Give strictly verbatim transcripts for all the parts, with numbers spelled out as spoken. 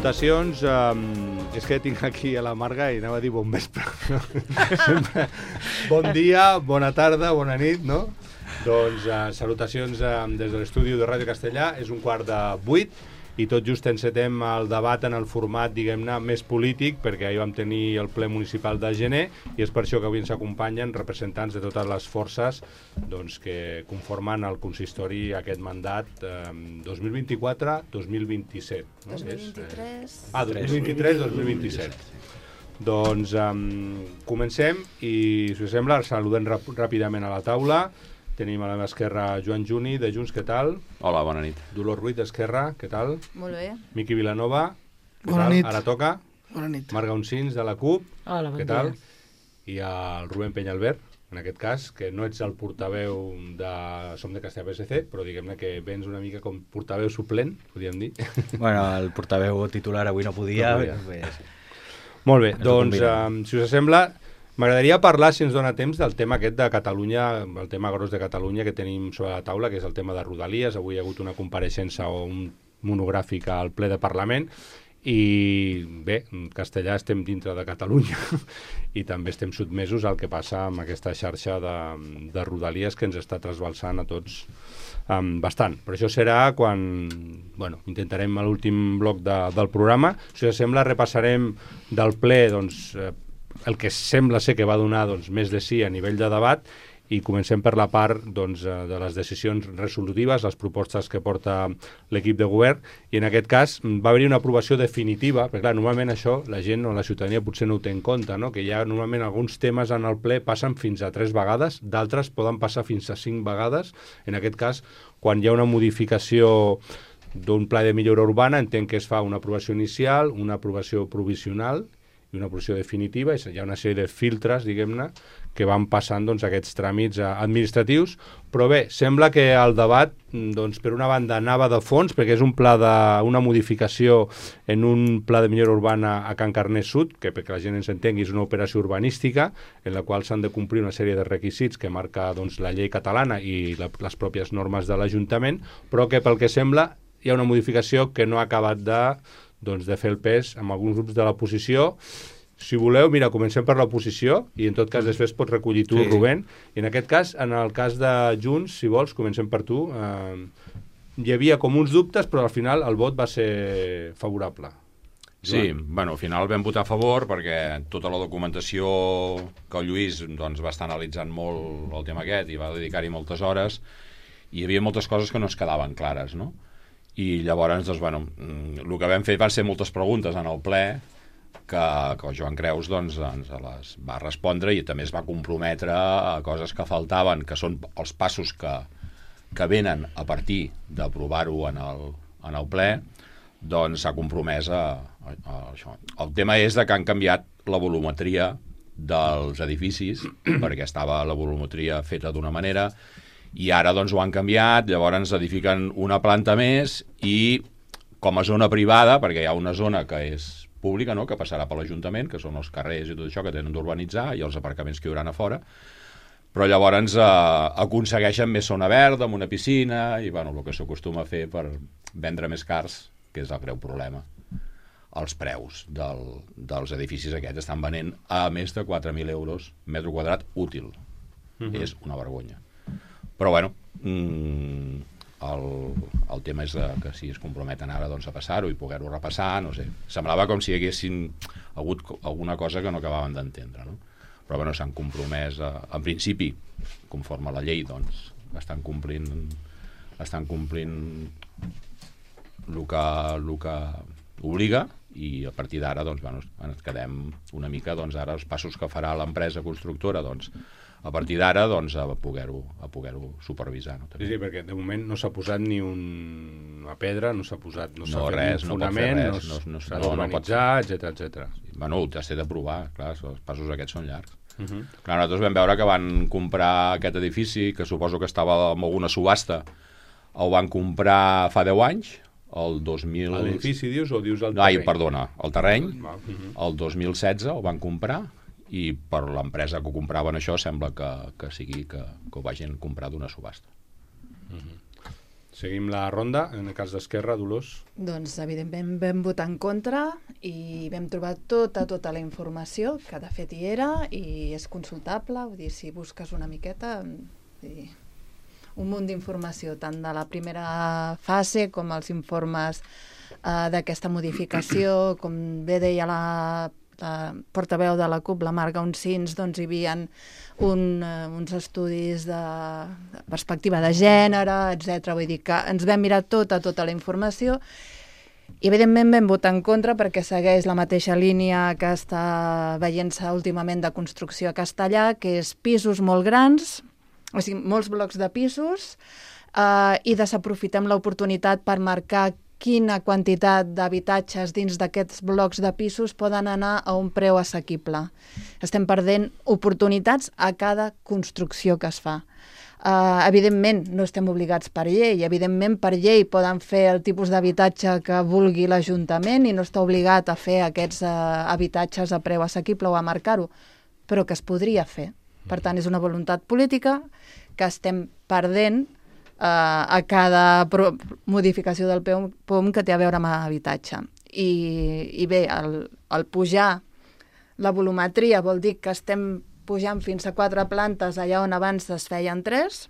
salutacions. Um, és que tinc aquí a la Marga i anava a dir bon vespre. Bon dia, bona tarda, bona nit, no? Doncs uh, salutacions uh, des de l'estudi de Ràdio Castellà. És un quart de vuit i tot just encetem el debat en el format, diguem-ne, més polític, perquè ahir vam tenir el ple municipal de gener i és per això que avui ens acompanyen representants de totes les forces doncs, que conformen el consistori aquest mandat eh, dos mil vint-i-quatre dos mil vint-i-set. No? dos mil vint-i-tres... Ah, dos mil vint-i-tres dos mil vint-i-set. Doncs um, comencem i, si us sembla, saludem rap ràpidament a la taula. Tenim a la meva esquerra Joan Juni, de Junts, què tal? Hola, bona nit. Dolors Ruiz, d'Esquerra, què tal? Molt bé. Miqui Vilanova, què bona tal? Nit. Ara toca. Bona nit. Marga Uncins, de la CUP, Hola, bon què tal? dia. I el Rubén Peñalver, en aquest cas, que no ets el portaveu de Som de Castellà P S C, però diguem-ne que vens una mica com portaveu suplent, podríem dir. Bueno, el portaveu titular avui no podia. No podia. Pues... Molt bé, Ens ho doncs, combinem. um, si us sembla, m'agradaria parlar, si ens dona temps, del tema aquest de Catalunya, el tema gros de Catalunya que tenim sobre la taula, que és el tema de Rodalies. Avui hi ha hagut una compareixença o un monogràfic al ple de Parlament i bé, en castellà estem dintre de Catalunya i també estem sotmesos al que passa amb aquesta xarxa de, de Rodalies que ens està trasbalsant a tots um, bastant. Però això serà quan bueno, intentarem a l'últim bloc de, del programa. Si us sembla, repassarem del ple doncs, eh, el que sembla ser que va donar doncs, més de sí a nivell de debat i comencem per la part doncs, de les decisions resolutives, les propostes que porta l'equip de govern i en aquest cas va haver-hi una aprovació definitiva, perquè clar, normalment això la gent o la ciutadania potser no ho té en compte, no? Que hi ha normalment alguns temes en el ple passen fins a tres vegades, d'altres poden passar fins a cinc vegades. En aquest cas, quan hi ha una modificació d'un pla de millora urbana, entenc que es fa una aprovació inicial, una aprovació provisional i una aprovació definitiva, i hi ha una sèrie de filtres, diguem-ne, que van passant doncs, aquests tràmits eh, administratius, però bé, sembla que el debat, doncs, per una banda, anava de fons, perquè és un pla de, una modificació en un pla de millora urbana a Can Carnés Sud, que perquè la gent ens entengui és una operació urbanística, en la qual s'han de complir una sèrie de requisits que marca doncs, la llei catalana i la, les pròpies normes de l'Ajuntament, però que pel que sembla hi ha una modificació que no ha acabat de doncs, de fer el pes amb alguns grups de l'oposició. Si voleu, mira, comencem per l'oposició i en tot cas després pots recollir tu, sí. Rubén. I en aquest cas, en el cas de Junts, si vols, comencem per tu. Eh, hi havia com uns dubtes, però al final el vot va ser favorable. Sí, bueno, al final vam votar a favor perquè tota la documentació que el Lluís doncs, va estar analitzant molt el tema aquest i va dedicar-hi moltes hores i hi havia moltes coses que no es quedaven clares, no? I llavors, doncs, bueno, el que vam fer van ser moltes preguntes en el ple que, que el Joan Creus doncs, ens les va respondre i també es va comprometre a coses que faltaven, que són els passos que, que venen a partir d'aprovar-ho en, el, en el ple, doncs s'ha compromès a, a, a això. El tema és de que han canviat la volumetria dels edificis, perquè estava la volumetria feta d'una manera, i ara doncs ho han canviat, llavors ens edifiquen una planta més i com a zona privada, perquè hi ha una zona que és pública, no?, que passarà per l'Ajuntament, que són els carrers i tot això que tenen d'urbanitzar i els aparcaments que hi haurà a fora, però llavors eh, aconsegueixen més zona verda amb una piscina i bueno, el que s'acostuma a fer per vendre més cars, que és el greu problema. Els preus del, dels edificis aquests estan venent a més de quatre mil euros metre quadrat útil. Mm-hmm. És una vergonya. Però bueno, mmm, el, el tema és de, que si es comprometen ara doncs, a passar-ho i poder-ho repassar, no sé. Semblava com si hi haguessin hagut alguna cosa que no acabaven d'entendre, no? Però bueno, s'han compromès, a, en principi, conforme a la llei, doncs, estan complint, estan complint el que, el que obliga i a partir d'ara doncs, bueno, ens quedem una mica doncs, ara els passos que farà l'empresa constructora doncs, a partir d'ara doncs, a poder-ho a poder-ho supervisar. No? Sí, sí, perquè de moment no s'ha posat ni un... una pedra, no s'ha posat no s'ha no, fet res, ni un no fonament, res, no, no, no, s'ha no, d'urbanitzar, no etcètera, etcètera. Bueno, t'has d'aprovar, clar, els passos aquests són llargs. Uh -huh. Clar, nosaltres vam veure que van comprar aquest edifici, que suposo que estava en alguna subhasta, el van comprar fa deu anys, el dos mil... L'edifici dius o dius el terreny? terreny? Ai, perdona, el terreny, uh -huh. el dos mil setze el van comprar i per l'empresa que ho compraven això sembla que, que sigui que, que ho vagin comprar d'una subhasta. Uh -huh. Seguim la ronda, en el cas d'Esquerra, Dolors. Doncs, evidentment, vam votar en contra i vam trobar tota, tota la informació, que de fet hi era, i és consultable, vull dir, si busques una miqueta, i un munt d'informació, tant de la primera fase com els informes eh, d'aquesta modificació, com bé deia la, la portaveu de la CUP, la Marga Uncins, doncs hi havia un, uh, uns estudis de, de perspectiva de gènere, etcètera. Vull dir que ens vam mirar tota, tota la informació i evidentment vam votar en contra perquè segueix la mateixa línia que està veient-se últimament de construcció a Castellà, que és pisos molt grans, o sigui, molts blocs de pisos, eh, i desaprofitem l'oportunitat per marcar quina quantitat d'habitatges dins d'aquests blocs de pisos poden anar a un preu assequible. Estem perdent oportunitats a cada construcció que es fa. Uh, evidentment, no estem obligats per llei. Evidentment, per llei poden fer el tipus d'habitatge que vulgui l'Ajuntament i no està obligat a fer aquests uh, habitatges a preu assequible o a marcar-ho, però que es podria fer. Per tant, és una voluntat política que estem perdent eh, a cada pro modificació del P O M que té a veure amb habitatge. I, i bé, el, el pujar la volumetria vol dir que estem pujant fins a quatre plantes allà on abans es feien tres,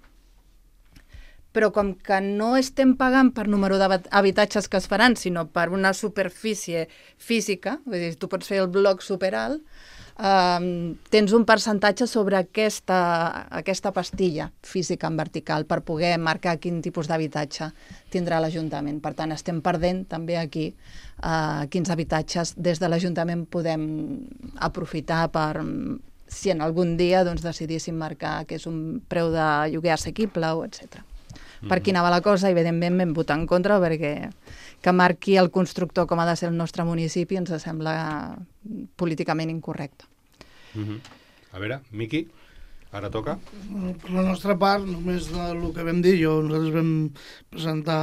però com que no estem pagant per número d'habitatges que es faran, sinó per una superfície física, vull dir, tu pots fer el bloc superalt, Uh, tens un percentatge sobre aquesta, aquesta pastilla física en vertical per poder marcar quin tipus d'habitatge tindrà l'Ajuntament. Per tant, estem perdent també aquí uh, quins habitatges des de l'Ajuntament podem aprofitar per, si en algun dia doncs, decidíssim marcar que és un preu de lloguer assequible o etcètera. Mm-hmm. Per aquí anava la cosa, evidentment vam votar en contra perquè que marqui el constructor com ha de ser el nostre municipi ens sembla políticament incorrecte. Mm-hmm. A veure, Miqui, ara toca. Per la nostra part, només del que vam dir, jo, nosaltres vam presentar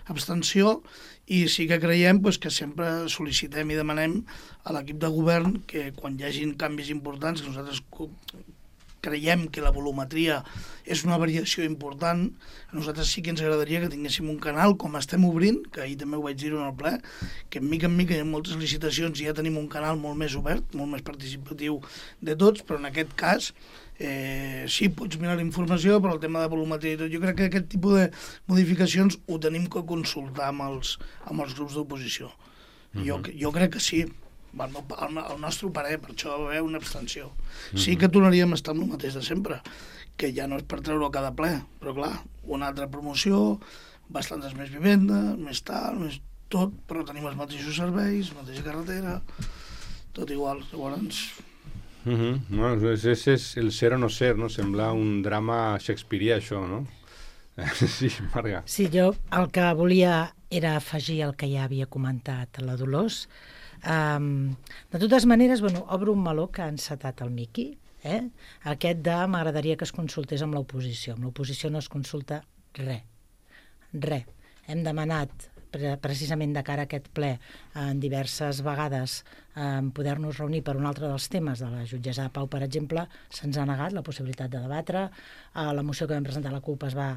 abstenció i sí que creiem pues, que sempre sol·licitem i demanem a l'equip de govern que quan hi hagin canvis importants, que nosaltres creiem que la volumetria és una variació important, a nosaltres sí que ens agradaria que tinguéssim un canal, com estem obrint, que ahir també ho vaig dir en el ple, que en mica en mica hi ha moltes licitacions i ja tenim un canal molt més obert, molt més participatiu de tots, però en aquest cas eh, sí, pots mirar la informació, però el tema de volumetria i tot, jo crec que aquest tipus de modificacions ho tenim que consultar amb els, amb els grups d'oposició. Uh-huh. jo, jo crec que sí. El, el, el nostre parer, per això va haver una abstenció. Mm-hmm. Sí que tornaríem a estar amb el mateix de sempre, que ja no és per treure-ho a cada ple, però clar, una altra promoció, bastantes més vivendes, més tal, més tot, però tenim els mateixos serveis, la mateixa carretera, tot igual. Llavors... Mm-hmm. Bueno, és, és, és el ser o no ser, no? Sembla un drama shakespearià, això, no? Sí, Marga. Sí, jo el que volia era afegir el que ja havia comentat la Dolors. Um, de totes maneres, bueno, obro un meló que ha encetat el Miqui, eh? Aquest de m'agradaria que es consultés amb l'oposició. Amb l'oposició no es consulta res, res. Hem demanat pre precisament de cara a aquest ple en diverses vegades eh, poder-nos reunir per un altre dels temes de la jutgessa de Pau, per exemple, se'ns ha negat la possibilitat de debatre. A la moció que vam presentar a la CUP es va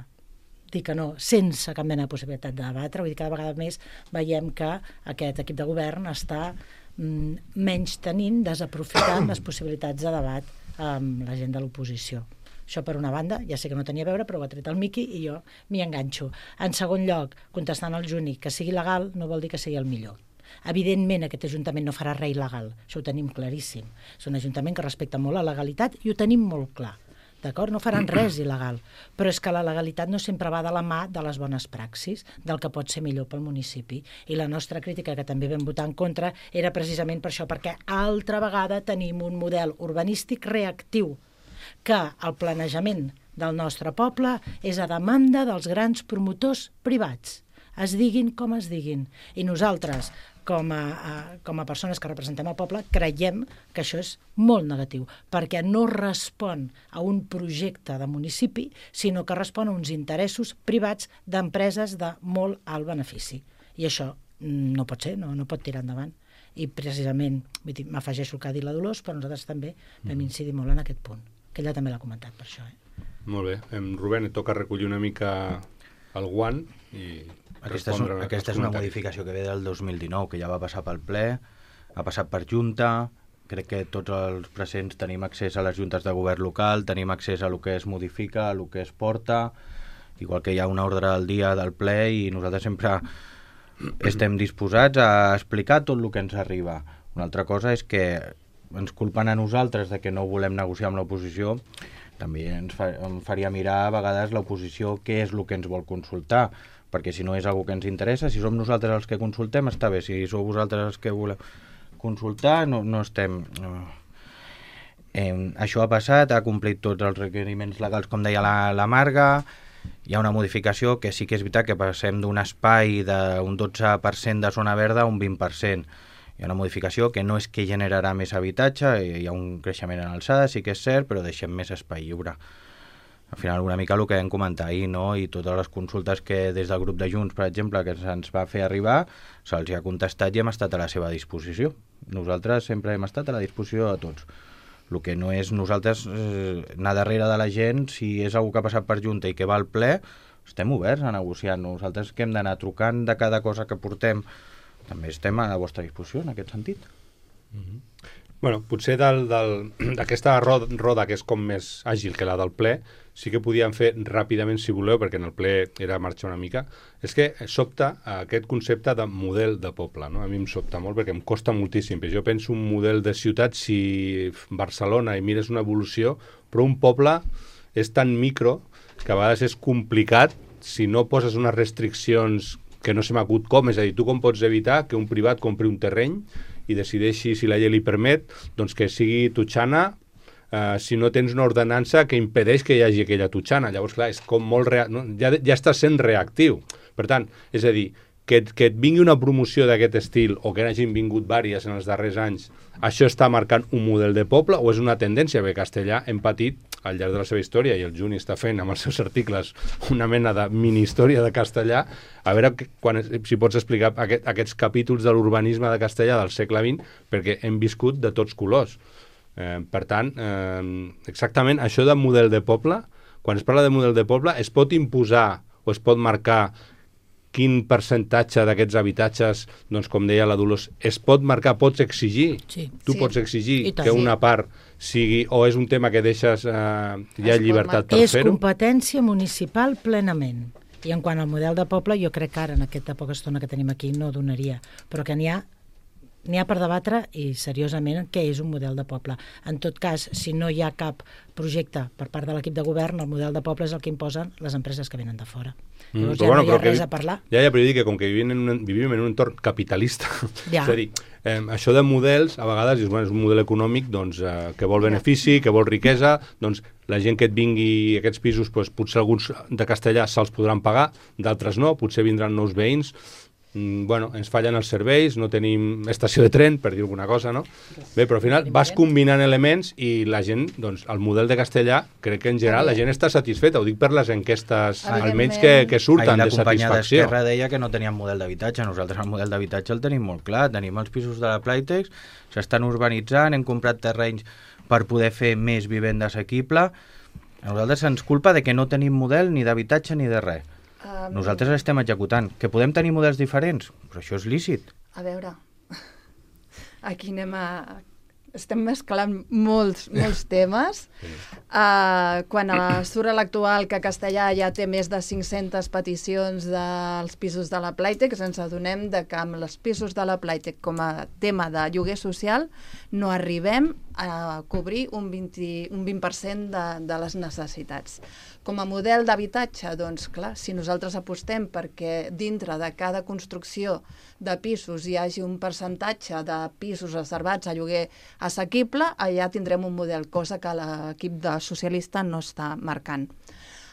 dir que no, sense cap mena de possibilitat de debatre. Vull dir, cada vegada més veiem que aquest equip de govern està mm, menys tenint, desaprofitant les possibilitats de debat amb la gent de l'oposició. Això per una banda, ja sé que no tenia a veure, però ho ha tret el Miqui i jo m'hi enganxo. En segon lloc, contestant al Juni, que sigui legal no vol dir que sigui el millor. Evidentment, aquest Ajuntament no farà res il·legal, això ho tenim claríssim. És un Ajuntament que respecta molt la legalitat i ho tenim molt clar. D'acord? No faran res il·legal, però és que la legalitat no sempre va de la mà de les bones praxis, del que pot ser millor pel municipi. I la nostra crítica, que també vam votar en contra, era precisament per això, perquè altra vegada tenim un model urbanístic reactiu, que el planejament del nostre poble és a demanda dels grans promotors privats, es diguin com es diguin. I nosaltres, com a, a, com a persones que representem el poble, creiem que això és molt negatiu, perquè no respon a un projecte de municipi, sinó que respon a uns interessos privats d'empreses de molt alt benefici. I això no pot ser, no, no pot tirar endavant. I precisament, m'afegeixo el que ha dit la Dolors, però nosaltres també vam incidir molt en aquest punt, que ella també l'ha comentat per això. Eh? Molt bé. Em, Rubén, et toca recollir una mica el guant i Aquesta és, un, aquesta és una modificació que ve del dos mil dinou, que ja va passar pel ple, ha passat per Junta, crec que tots els presents tenim accés a les juntes de govern local, tenim accés a el que es modifica, a el que es porta, igual que hi ha una ordre del dia del ple i nosaltres sempre estem disposats a explicar tot el que ens arriba. Una altra cosa és que ens culpen a nosaltres de que no volem negociar amb l'oposició, també ens fa, em faria mirar a vegades l'oposició què és el que ens vol consultar, perquè si no és algo que ens interessa, si som nosaltres els que consultem, està bé. Si sou vosaltres els que voleu consultar, no, no estem... No. Eh, això ha passat, ha complit tots els requeriments legals, com deia la, la Marga. Hi ha una modificació que sí que és veritat que passem d'un espai d'un dotze per cent de zona verda a un vint per cent. Hi ha una modificació que no és que generarà més habitatge, hi ha un creixement en alçada, sí que és cert, però deixem més espai lliure. Al final una mica el que vam comentar ahir, no? I totes les consultes que des del grup de Junts, per exemple, que se'ns va fer arribar, se'ls ha contestat i hem estat a la seva disposició. Nosaltres sempre hem estat a la disposició de tots. El que no és nosaltres eh, anar darrere de la gent, si és algú que ha passat per Junta i que va al ple, estem oberts a negociar. Nosaltres que hem d'anar trucant de cada cosa que portem, també estem a la vostra disposició en aquest sentit. Mm-hmm. Bueno, potser d'aquesta roda, roda que és com més àgil que la del ple, sí que podíem fer ràpidament, si voleu, perquè en el ple era marxar una mica, és que sobta aquest concepte de model de poble, no? A mi em sobta molt perquè em costa moltíssim, perquè jo penso un model de ciutat, si Barcelona i mires una evolució, però un poble és tan micro que a vegades és complicat si no poses unes restriccions que no se m'acut com, és a dir, tu com pots evitar que un privat compri un terreny i decideixi, si la llei li permet, doncs que sigui totxana, Uh, si no tens una ordenança que impedeix que hi hagi aquella totxana. Llavors, clar, és com molt rea... no? ja, ja està sent reactiu. Per tant, és a dir, que, que et vingui una promoció d'aquest estil o que n'hagin vingut vàries en els darrers anys, això està marcant un model de poble o és una tendència? Perquè Castellà hem patit al llarg de la seva història, i el Juni està fent amb els seus articles una mena de mini-història de Castellà. A veure quan, si pots explicar aquest, aquests capítols de l'urbanisme de Castellà del segle vint, perquè hem viscut de tots colors. Eh, per tant, eh, exactament això de model de poble, quan es parla de model de poble, es pot imposar o es pot marcar quin percentatge d'aquests habitatges, doncs com deia la Dolors, es pot marcar, pots exigir, sí. tu sí. pots exigir tant, que una sí. part sigui, o és un tema que deixes eh, ja Es llibertat pot per És fer-ho? competència municipal plenament. I en quant al model de poble, jo crec que ara, en aquesta poca estona que tenim aquí, no donaria, però que n'hi ha N'hi ha per debatre i seriosament què és un model de poble. En tot cas, si no hi ha cap projecte per part de l'equip de govern, el model de poble és el que imposen les empreses que venen de fora. Mm, Llavors però ja bueno, no hi ha però res que, a parlar. Ja, ja, però jo dic que com que vivim en un, vivim en un entorn capitalista, Ja. és a dir, eh, això de models, a vegades dius, bueno, és un model econòmic doncs, eh, que vol benefici, que vol riquesa, doncs la gent que et vingui a aquests pisos, doncs, potser alguns de Castellà se'ls podran pagar, d'altres no, potser vindran nous veïns. Mm, bueno, ens fallen els serveis, no tenim estació de tren, per dir alguna cosa, no? Bé, però al final vas combinant elements i la gent, doncs, el model de Castellà, crec que en general la gent està satisfeta, ho dic per les enquestes, almenys que, que surten de satisfacció. La companya d'Esquerra deia que no teníem model d'habitatge, nosaltres el model d'habitatge el tenim molt clar, tenim els pisos de la Playtex, s'estan urbanitzant, hem comprat terrenys per poder fer més vivenda assequible. A nosaltres ens culpa de que no tenim model ni d'habitatge ni de res. Um, Nosaltres l'estem executant. Que podem tenir models diferents, però això és lícit. A veure, aquí anem a... Estem mesclant molts, molts temes. Uh, quan a, surt l'actual que Castellà ja té més de cinc-centes peticions dels pisos de la Playtex, ens adonem de que amb els pisos de la Playtex com a tema de lloguer social no arribem a cobrir un vint, un vint per cent de, de les necessitats. Com a model d'habitatge, doncs clar, si nosaltres apostem perquè dintre de cada construcció de pisos hi hagi un percentatge de pisos reservats a lloguer assequible, allà tindrem un model, cosa que l'equip de socialista no està marcant.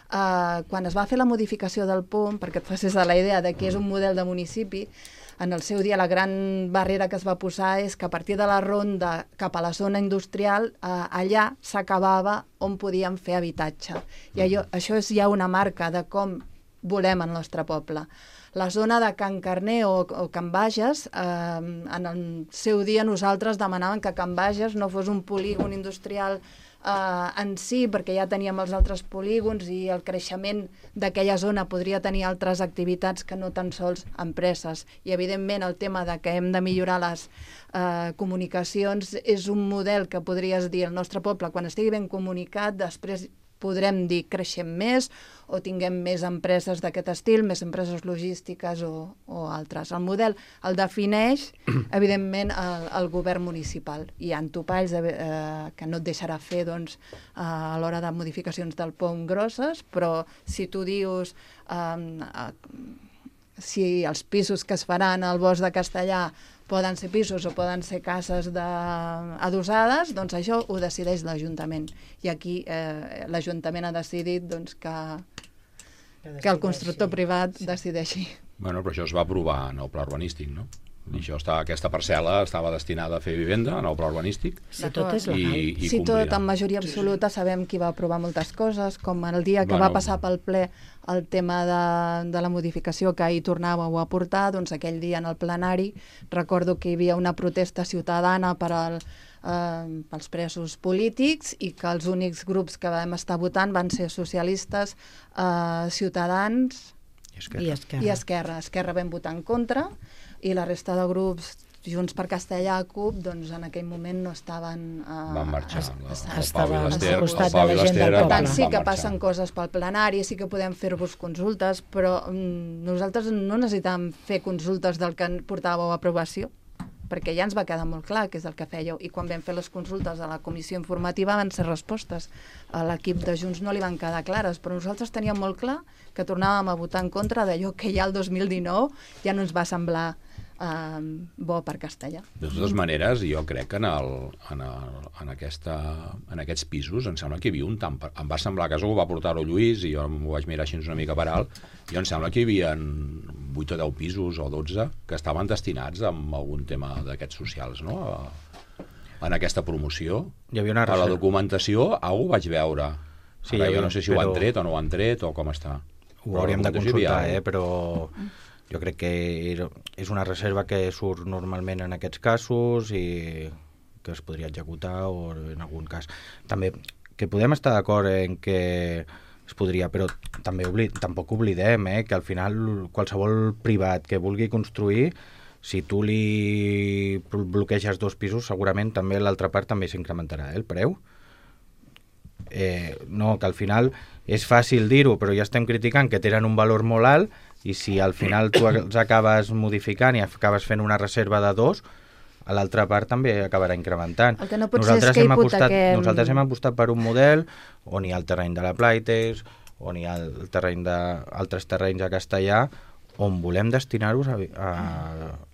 Uh, quan es va fer la modificació del P U M, perquè et facis a la idea de que és un model de municipi, en el seu dia la gran barrera que es va posar és que a partir de la ronda cap a la zona industrial, eh, allà s'acabava on podíem fer habitatge. I allò, això és ja una marca de com volem el nostre poble. la zona de Can Carner o, o Can Bages, eh, en el seu dia nosaltres demanàvem que Can Bages no fos un polígon industrial Uh, en si, perquè ja teníem els altres polígons i el creixement d'aquella zona podria tenir altres activitats que no tan sols empreses. I evidentment el tema de que hem de millorar les uh, comunicacions és un model que podries dir al nostre poble, quan estigui ben comunicat, després podrem dir creixem més o tinguem més empreses d'aquest estil, més empreses logístiques o, o altres. El model el defineix, evidentment, el, el govern municipal. Hi ha topalls de, eh, que no et deixarà fer doncs, eh, a l'hora de modificacions del pont grosses, però si tu dius eh, eh, si els pisos que es faran al bosc de Castellà poden ser pisos o poden ser cases de... adossades, doncs això ho decideix l'Ajuntament. I aquí eh, l'Ajuntament ha decidit doncs, que, que el constructor privat sí. decideixi. Bueno, però això es va aprovar en el pla urbanístic, no? I això està, aquesta parcel·la estava destinada a fer vivenda en el pla urbanístic. Si tot és legal. I, i si complirà. tot en majoria absoluta sabem qui va aprovar moltes coses, com el dia que bueno, va passar pel ple el tema de, de la modificació que ahir tornàveu a portar, doncs aquell dia en el plenari recordo que hi havia una protesta ciutadana per al, eh, pels presos polítics i que els únics grups que vam estar votant van ser socialistes, eh, Ciutadans i Esquerra. I Esquerra. I Esquerra. Esquerra vam votar en contra i la resta de grups, Junts per Castellà, CUP, doncs en aquell moment no estaven... Eh, van marxar. es, La, es, el estava Pau i l'Ester, al costat el Pau de i la gent l'Ester del per poble. tant, sí van que marxar. passen coses pel plenari, sí que podem fer-vos consultes, però mm, nosaltres no necessitàvem fer consultes del que portàveu a aprovació, perquè ja ens va quedar molt clar que és el que fèieu. I quan vam fer les consultes a la comissió informativa van ser respostes. A l'equip de Junts no li van quedar clares, però nosaltres teníem molt clar que tornàvem a votar en contra d'allò que ja el dos mil dinou ja no ens va semblar eh, bo per Castellà. De totes maneres, jo crec que en, el, en, el, en, aquesta, en aquests pisos em sembla que hi havia un tant... Em va semblar que això ho va portar-ho Lluís i jo m'ho vaig mirar així una mica per alt, i em sembla que hi havia vuit o deu pisos o dotze que estaven destinats a algun tema d'aquests socials, no? A, en aquesta promoció. Hi havia una a la documentació, algú ho vaig veure. Sí, Ara, havia, jo no sé si però... ho han tret o no ho han tret o com està. Ho hauríem de consultar, havia... eh? Però jo crec que és una reserva que surt normalment en aquests casos i que es podria executar o en algun cas. També que podem estar d'acord en que es podria, però també oblid, tampoc oblidem eh, que al final qualsevol privat que vulgui construir, si tu li bloqueges dos pisos, segurament també l'altra part també s'incrementarà eh, el preu. Eh, no, que al final és fàcil dir-ho, però ja estem criticant que tenen un valor molt alt i si al final tu els acabes modificant i acabes fent una reserva de dos, a l'altra part també acabarà incrementant. El que no pot nosaltres, ser és que hem apostat, hipotequem... nosaltres hem apostat per un model on hi ha el terreny de la Plaitex, on hi ha el terreny de, altres terrenys a Castellà, on volem destinar-los a, a,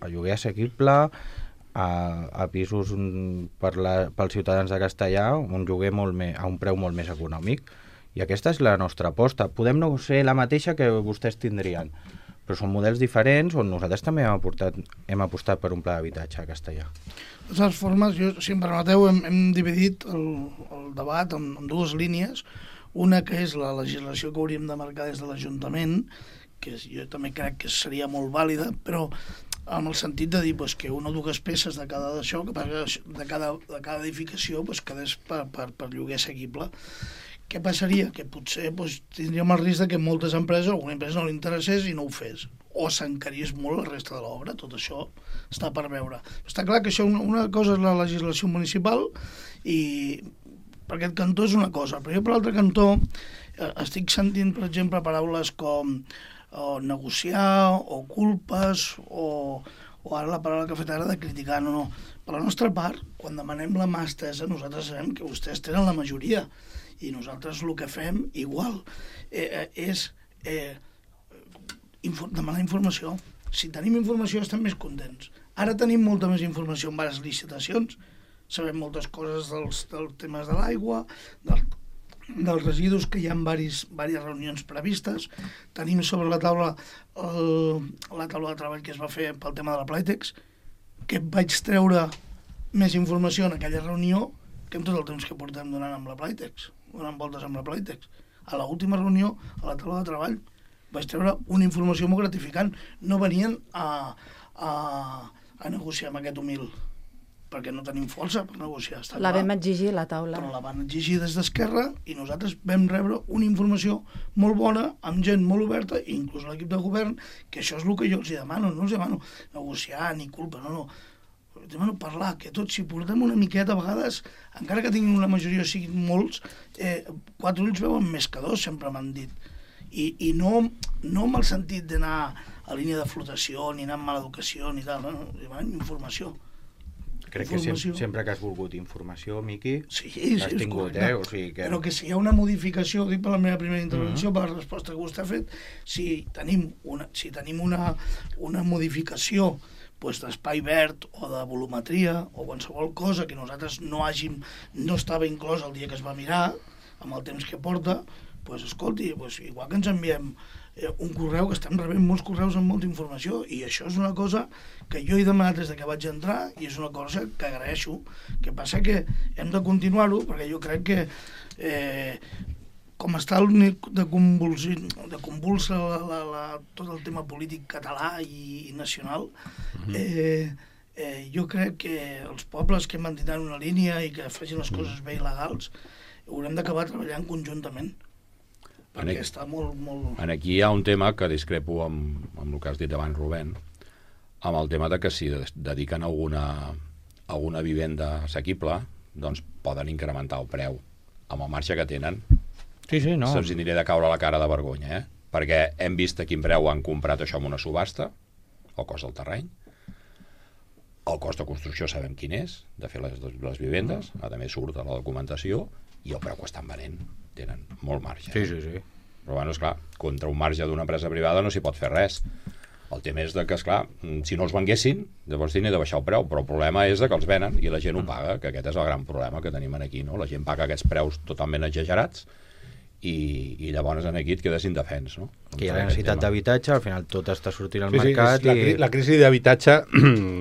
a lloguer assequible, a, a pisos per la, pels ciutadans de Castellà, un lloguer molt me, a un preu molt més econòmic. I aquesta és la nostra aposta. Podem no ser la mateixa que vostès tindrien, però són models diferents on nosaltres també hem, aportat, hem apostat per un pla d'habitatge a Castellà. De totes formes, jo, si em permeteu, hem, hem dividit el, el debat en, en dues línies. Una que és la legislació que hauríem de marcar des de l'Ajuntament, que jo també crec que seria molt vàlida, però en el sentit de dir pues, que una o dues peces de cada d'això, de cada, de cada edificació, pues, quedés per, per, per lloguer assequible. Què passaria? Que potser pues, tindríem el risc de que moltes empreses, alguna empresa no li interessés i no ho fes, o s'encarís molt la resta de l'obra. Tot això està per veure. Està clar que això una, una cosa és la legislació municipal i per aquest cantó és una cosa, però jo per l'altre cantó eh, estic sentint, per exemple, paraules com o negociar, o culpes, o, o ara la paraula que ha fet ara de criticar. No, no. Per la nostra part, quan demanem la mà estesa, nosaltres sabem que vostès tenen la majoria i nosaltres el que fem, igual, eh, eh, és eh, infor demanar informació. Si tenim informació estem més contents. Ara tenim molta més informació en diverses licitacions, sabem moltes coses dels, dels temes de l'aigua, del dels residus, que hi ha diverses, diverses reunions previstes. Tenim sobre la taula el, la taula de treball que es va fer pel tema de la Plaitex, que vaig treure més informació en aquella reunió que en tot el temps que portem donant amb la Plaitex, donant voltes amb la Plaitex. A l'última reunió, a la taula de treball, vaig treure una informació molt gratificant. No venien a, a, a negociar amb aquest humil, perquè no tenim força per negociar. Està La clar. vam exigir a la taula. Però la van exigir des d'Esquerra i nosaltres vam rebre una informació molt bona, amb gent molt oberta, inclús l'equip de govern, que això és el que jo els demano. No els demano negociar ni culpa, no, no. Els demano parlar, que tots, si portem una miqueta, a vegades, encara que tinguin una majoria o siguin molts, eh, quatre ulls veuen més que dos, sempre m'han dit. I, i no, no amb el sentit d'anar a línia de flotació, ni anar amb mala educació, ni tal, no, no, demanen informació. Crec que sempre, sempre que has volgut informació, Miqui, sí, l'has sí, tingut, correcte. eh? O sigui que... Però que si hi ha una modificació, ho dic per la meva primera intervenció, Mm-hmm. per la resposta que vostè ha fet, si tenim una, si tenim una, una modificació pues, d'espai verd o de volumetria o qualsevol cosa que nosaltres no hàgim, no estava inclòs el dia que es va mirar, amb el temps que porta, pues, escolti, pues, igual que ens enviem eh, un correu, que estem rebent molts correus amb molta informació, i això és una cosa que jo he demanat des de que vaig entrar i és una cosa que agraeixo. Que passa que hem de continuar-ho, perquè jo crec que eh, com està el de, convulsi, de convulsa la, la, la, tot el tema polític català i, i nacional, eh, eh, jo crec que els pobles que mantindran una línia i que facin les coses bé i legals haurem d'acabar treballant conjuntament, perquè Aquí, està molt, molt... en aquí hi ha un tema que discrepo amb, amb el que has dit abans, Rubén, amb el tema de que si dediquen alguna, alguna vivenda assequible, doncs poden incrementar el preu amb el marge que tenen. Sí, sí, no. Se'ls aniré de caure la cara de vergonya, eh? Perquè hem vist a quin preu han comprat això en una subhasta, el cost del terreny, el cost de construcció sabem quin és, de fer les, les vivendes, a més surt a la documentació, i el preu que estan venent tenen molt marge. Sí, sí, sí. Però, bueno, esclar, contra un marge d'una empresa privada no s'hi pot fer res. El tema és de que, esclar, si no els venguessin, llavors tindria de baixar el preu, però el problema és de que els venen i la gent ho paga, que aquest és el gran problema que tenim aquí, no? La gent paga aquests preus totalment exagerats i, i llavors en aquí et quedes indefens, no? Que hi ha la necessitat d'habitatge, al final tot està sortint al Sí, sí, mercat la, i... cri- la crisi d'habitatge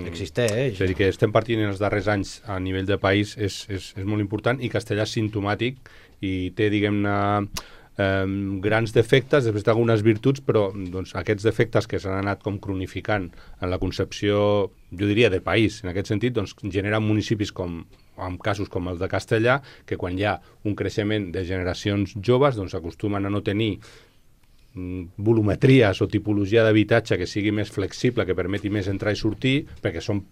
existeix. és a dir, que estem partint en els darrers anys a nivell de país és, és, és molt important, i Castellà és simptomàtic i té, diguem-ne, eh, grans defectes, després d'algunes virtuts, però doncs, aquests defectes que s'han anat com cronificant en la concepció, jo diria, de país, en aquest sentit, doncs, generen municipis com en casos com el de Castellà, que quan hi ha un creixement de generacions joves, doncs acostumen a no tenir mm, volumetries o tipologia d'habitatge que sigui més flexible, que permeti més entrar i sortir, perquè som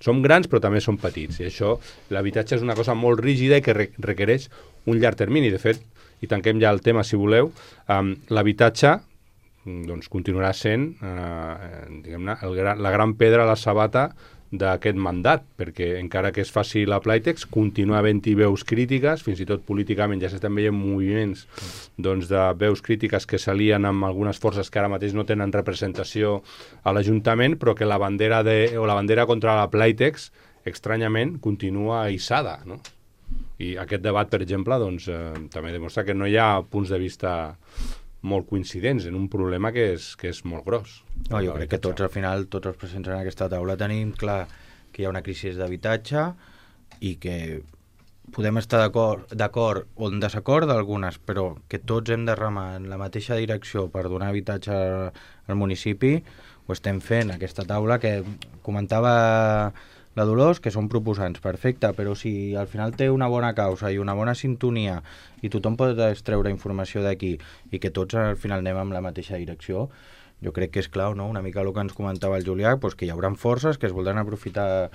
som grans però també som petits, i això, l'habitatge és una cosa molt rígida i que re requereix un llarg termini. De fet, i tanquem ja el tema si voleu, um, l'habitatge doncs, continuarà sent eh, diguem-ne, gra la gran pedra a la sabata d'aquest mandat, perquè encara que es faci la Playtex, continua havent-hi veus crítiques, fins i tot políticament ja s'estan veient moviments doncs, de veus crítiques que s'alien amb algunes forces que ara mateix no tenen representació a l'Ajuntament, però que la bandera, de, o la bandera contra la Playtex, estranyament, continua hissada, no? I aquest debat, per exemple, doncs, eh, també demostra que no hi ha punts de vista molt coincidents en un problema que és, que és molt gros. No, jo crec que tots, al final, tots els presents en aquesta taula tenim clar que hi ha una crisi d'habitatge i que podem estar d'acord o en desacord d'algunes, però que tots hem de remar en la mateixa direcció per donar habitatge al municipi, ho estem fent, aquesta taula que comentava la Dolors, que són proposants, perfecte, però si al final té una bona causa i una bona sintonia i tothom pot extreure informació d'aquí i que tots al final anem en la mateixa direcció, jo crec que és clau, no? Una mica el que ens comentava el Julià, doncs que hi haurà forces que es voldran aprofitar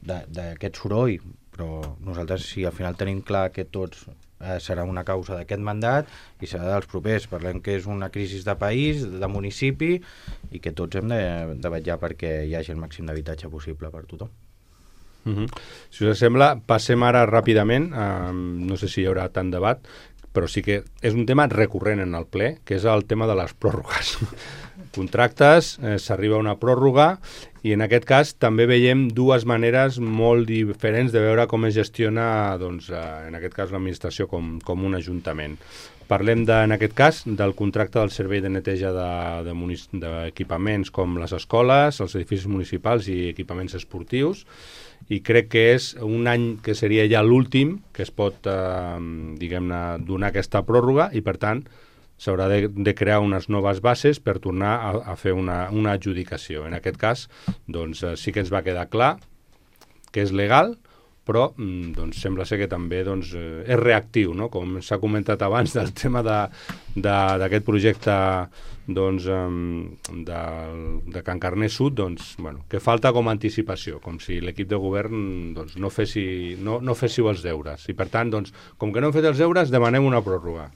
d'aquest soroll, però nosaltres si al final tenim clar que tots eh, serà una causa d'aquest mandat i serà dels propers, parlem que és una crisi de país, de municipi i que tots hem de, de vetllar perquè hi hagi el màxim d'habitatge possible per tothom. Uh -huh. Si us sembla, passem ara ràpidament, eh, no sé si hi haurà tant debat, però sí que és un tema recurrent en el ple, que és el tema de les pròrrogues. Contractes, eh, s'arriba a una pròrroga i en aquest cas també veiem dues maneres molt diferents de veure com es gestiona, doncs, eh, en aquest cas l'administració com, com un ajuntament. Parlem, de, en aquest cas, del contracte del servei de neteja d'equipaments de, de com les escoles, els edificis municipals i equipaments esportius, i crec que és un any que seria ja l'últim que es pot, eh, diguem-ne, donar aquesta pròrroga i, per tant, s'haurà de, de crear unes noves bases per tornar a, a fer una, una adjudicació. En aquest cas, doncs, sí que ens va quedar clar que és legal, però doncs, sembla ser que també doncs, és reactiu, no? Com s'ha comentat abans del tema d'aquest projecte doncs, de, de Can Carner Sud, doncs, bueno, que falta com a anticipació, com si l'equip de govern doncs, no, fessi, no, no féssiu els deures. I per tant, doncs, com que no hem fet els deures, demanem una pròrroga.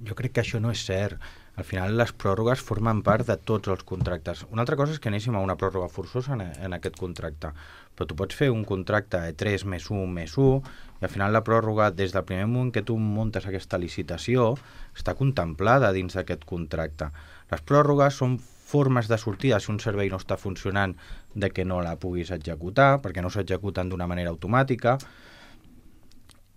Jo crec que això no és cert. Al final les pròrrogues formen part de tots els contractes. Una altra cosa és que anéssim a una pròrroga forçosa en, en aquest contracte, però tu pots fer un contracte de tres més un més un i al final la pròrroga, des del primer moment que tu muntes aquesta licitació, està contemplada dins d'aquest contracte. Les pròrrogues són formes de sortida si un servei no està funcionant de que no la puguis executar, perquè no s'executen d'una manera automàtica,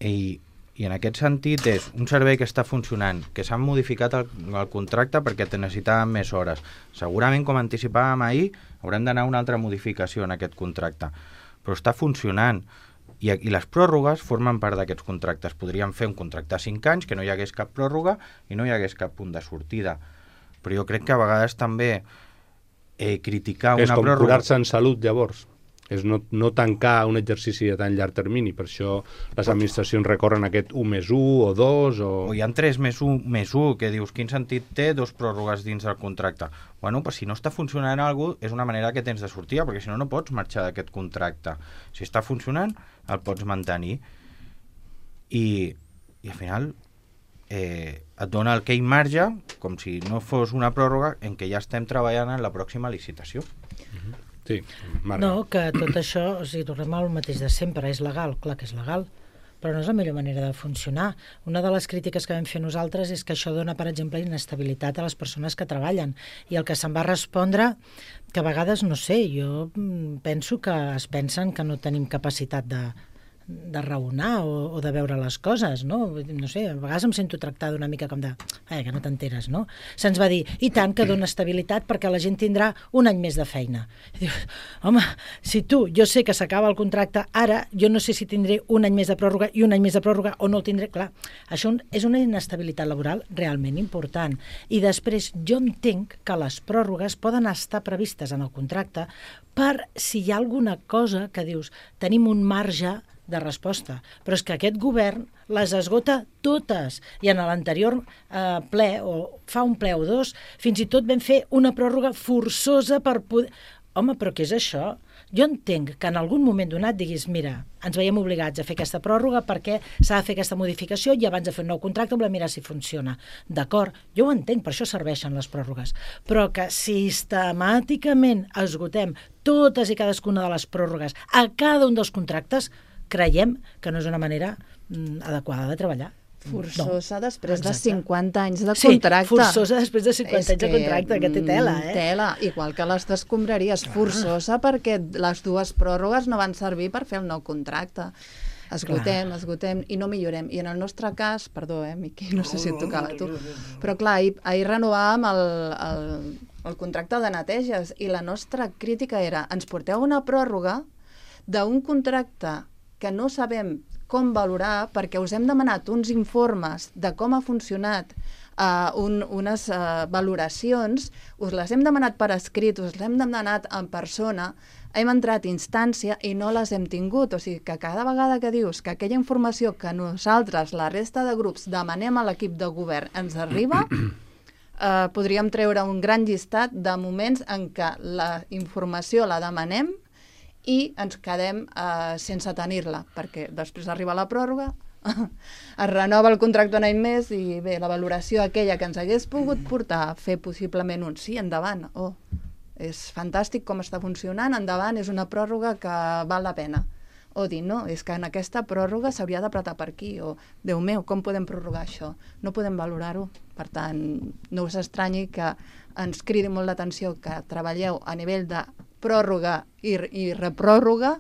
i I en aquest sentit és un servei que està funcionant, que s'ha modificat el, el contracte perquè te necessitàvem més hores. Segurament, com anticipàvem ahir, haurem d'anar a una altra modificació en aquest contracte. Però està funcionant. I, i les pròrrogues formen part d'aquests contractes. Podríem fer un contracte de cinc anys, que no hi hagués cap pròrroga i no hi hagués cap punt de sortida. Però jo crec que a vegades també eh, criticar és una pròrroga... És com curar-se en salut, llavors. És no, no tancar un exercici de tan llarg termini, per això les administracions recorren aquest un més un o dos o... O hi ha tres més un més un, que dius, quin sentit té dos pròrrogues dins del contracte? Bueno, pues si no està funcionant alguna cosa, és una manera que tens de sortir, perquè si no, no pots marxar d'aquest contracte. Si està funcionant, el pots mantenir. I, i al final eh, et dona aquell marge, com si no fos una pròrroga, en què ja estem treballant en la pròxima licitació. Mm-hmm. Sí, Marga. No, que tot això, o sigui, tornem al mateix de sempre, és legal, clar que és legal, però no és la millor manera de funcionar. Una de les crítiques que vam fer nosaltres és que això dona, per exemple, inestabilitat a les persones que treballen, i el que se'n va respondre, que a vegades, no sé, jo penso que es pensen que no tenim capacitat de, de raonar o, o de veure les coses, no? No sé, a vegades em sento tractada una mica com de... Eh, que no t'enteres, no? Se'ns va dir, i tant que dona estabilitat perquè la gent tindrà un any més de feina. I dius, home, si tu, jo sé que s'acaba el contracte, ara jo no sé si tindré un any més de pròrroga i un any més de pròrroga o no el tindré, clar. Això és una inestabilitat laboral realment important. I després jo entenc que les pròrrogues poden estar previstes en el contracte per si hi ha alguna cosa que dius, tenim un marge de resposta, però és que aquest govern les esgota totes, i en l'anterior eh, ple, o fa un ple o dos, fins i tot vam fer una pròrroga forçosa per poder... Home, però què és això? Jo entenc que en algun moment donat diguis, mira, ens veiem obligats a fer aquesta pròrroga perquè s'ha de fer aquesta modificació i abans de fer un nou contracte volem mirar si funciona. D'acord, jo ho entenc, per això serveixen les pròrrogues, però que sistemàticament esgotem totes i cadascuna de les pròrrogues a cada un dels contractes, creiem que no és una manera mm, adequada de treballar. Forçosa no. després Exacte. de cinquanta anys de contracte. Sí, forçosa després de cinquanta anys de contracte, que té tela, eh? Tela, igual que les d'escombraries. Forçosa perquè les dues pròrrogues no van servir per fer el nou contracte. Esgotem, clar. esgotem i no millorem. I en el nostre cas, perdó, eh, Miqui, no sé si et tocava a tu, però clar, ahir, ahir renovàvem el, el, el contracte de neteges i la nostra crítica era, ens porteu una pròrroga d'un contracte que no sabem com valorar perquè us hem demanat uns informes de com ha funcionat, uh, un, unes uh, valoracions, us les hem demanat per escrit, us les hem demanat en persona, hem entrat a instància i no les hem tingut. O sigui que cada vegada que dius que aquella informació que nosaltres, la resta de grups, demanem a l'equip de govern ens arriba, uh, podríem treure un gran llistat de moments en què la informació la demanem i ens quedem eh, sense tenir-la, perquè després arriba la pròrroga, es renova el contracte un any més i bé, la valoració aquella que ens hagués pogut portar a fer possiblement un sí, endavant, oh, és fantàstic com està funcionant, endavant, és una pròrroga que val la pena. O dir, no, és que en aquesta pròrroga s'hauria d'apretar per aquí, o, Déu meu, com podem prorrogar això? No podem valorar-ho. Per tant, no us estranyi que ens cridi molt l'atenció que treballeu a nivell de pròrroga i, i repròrroga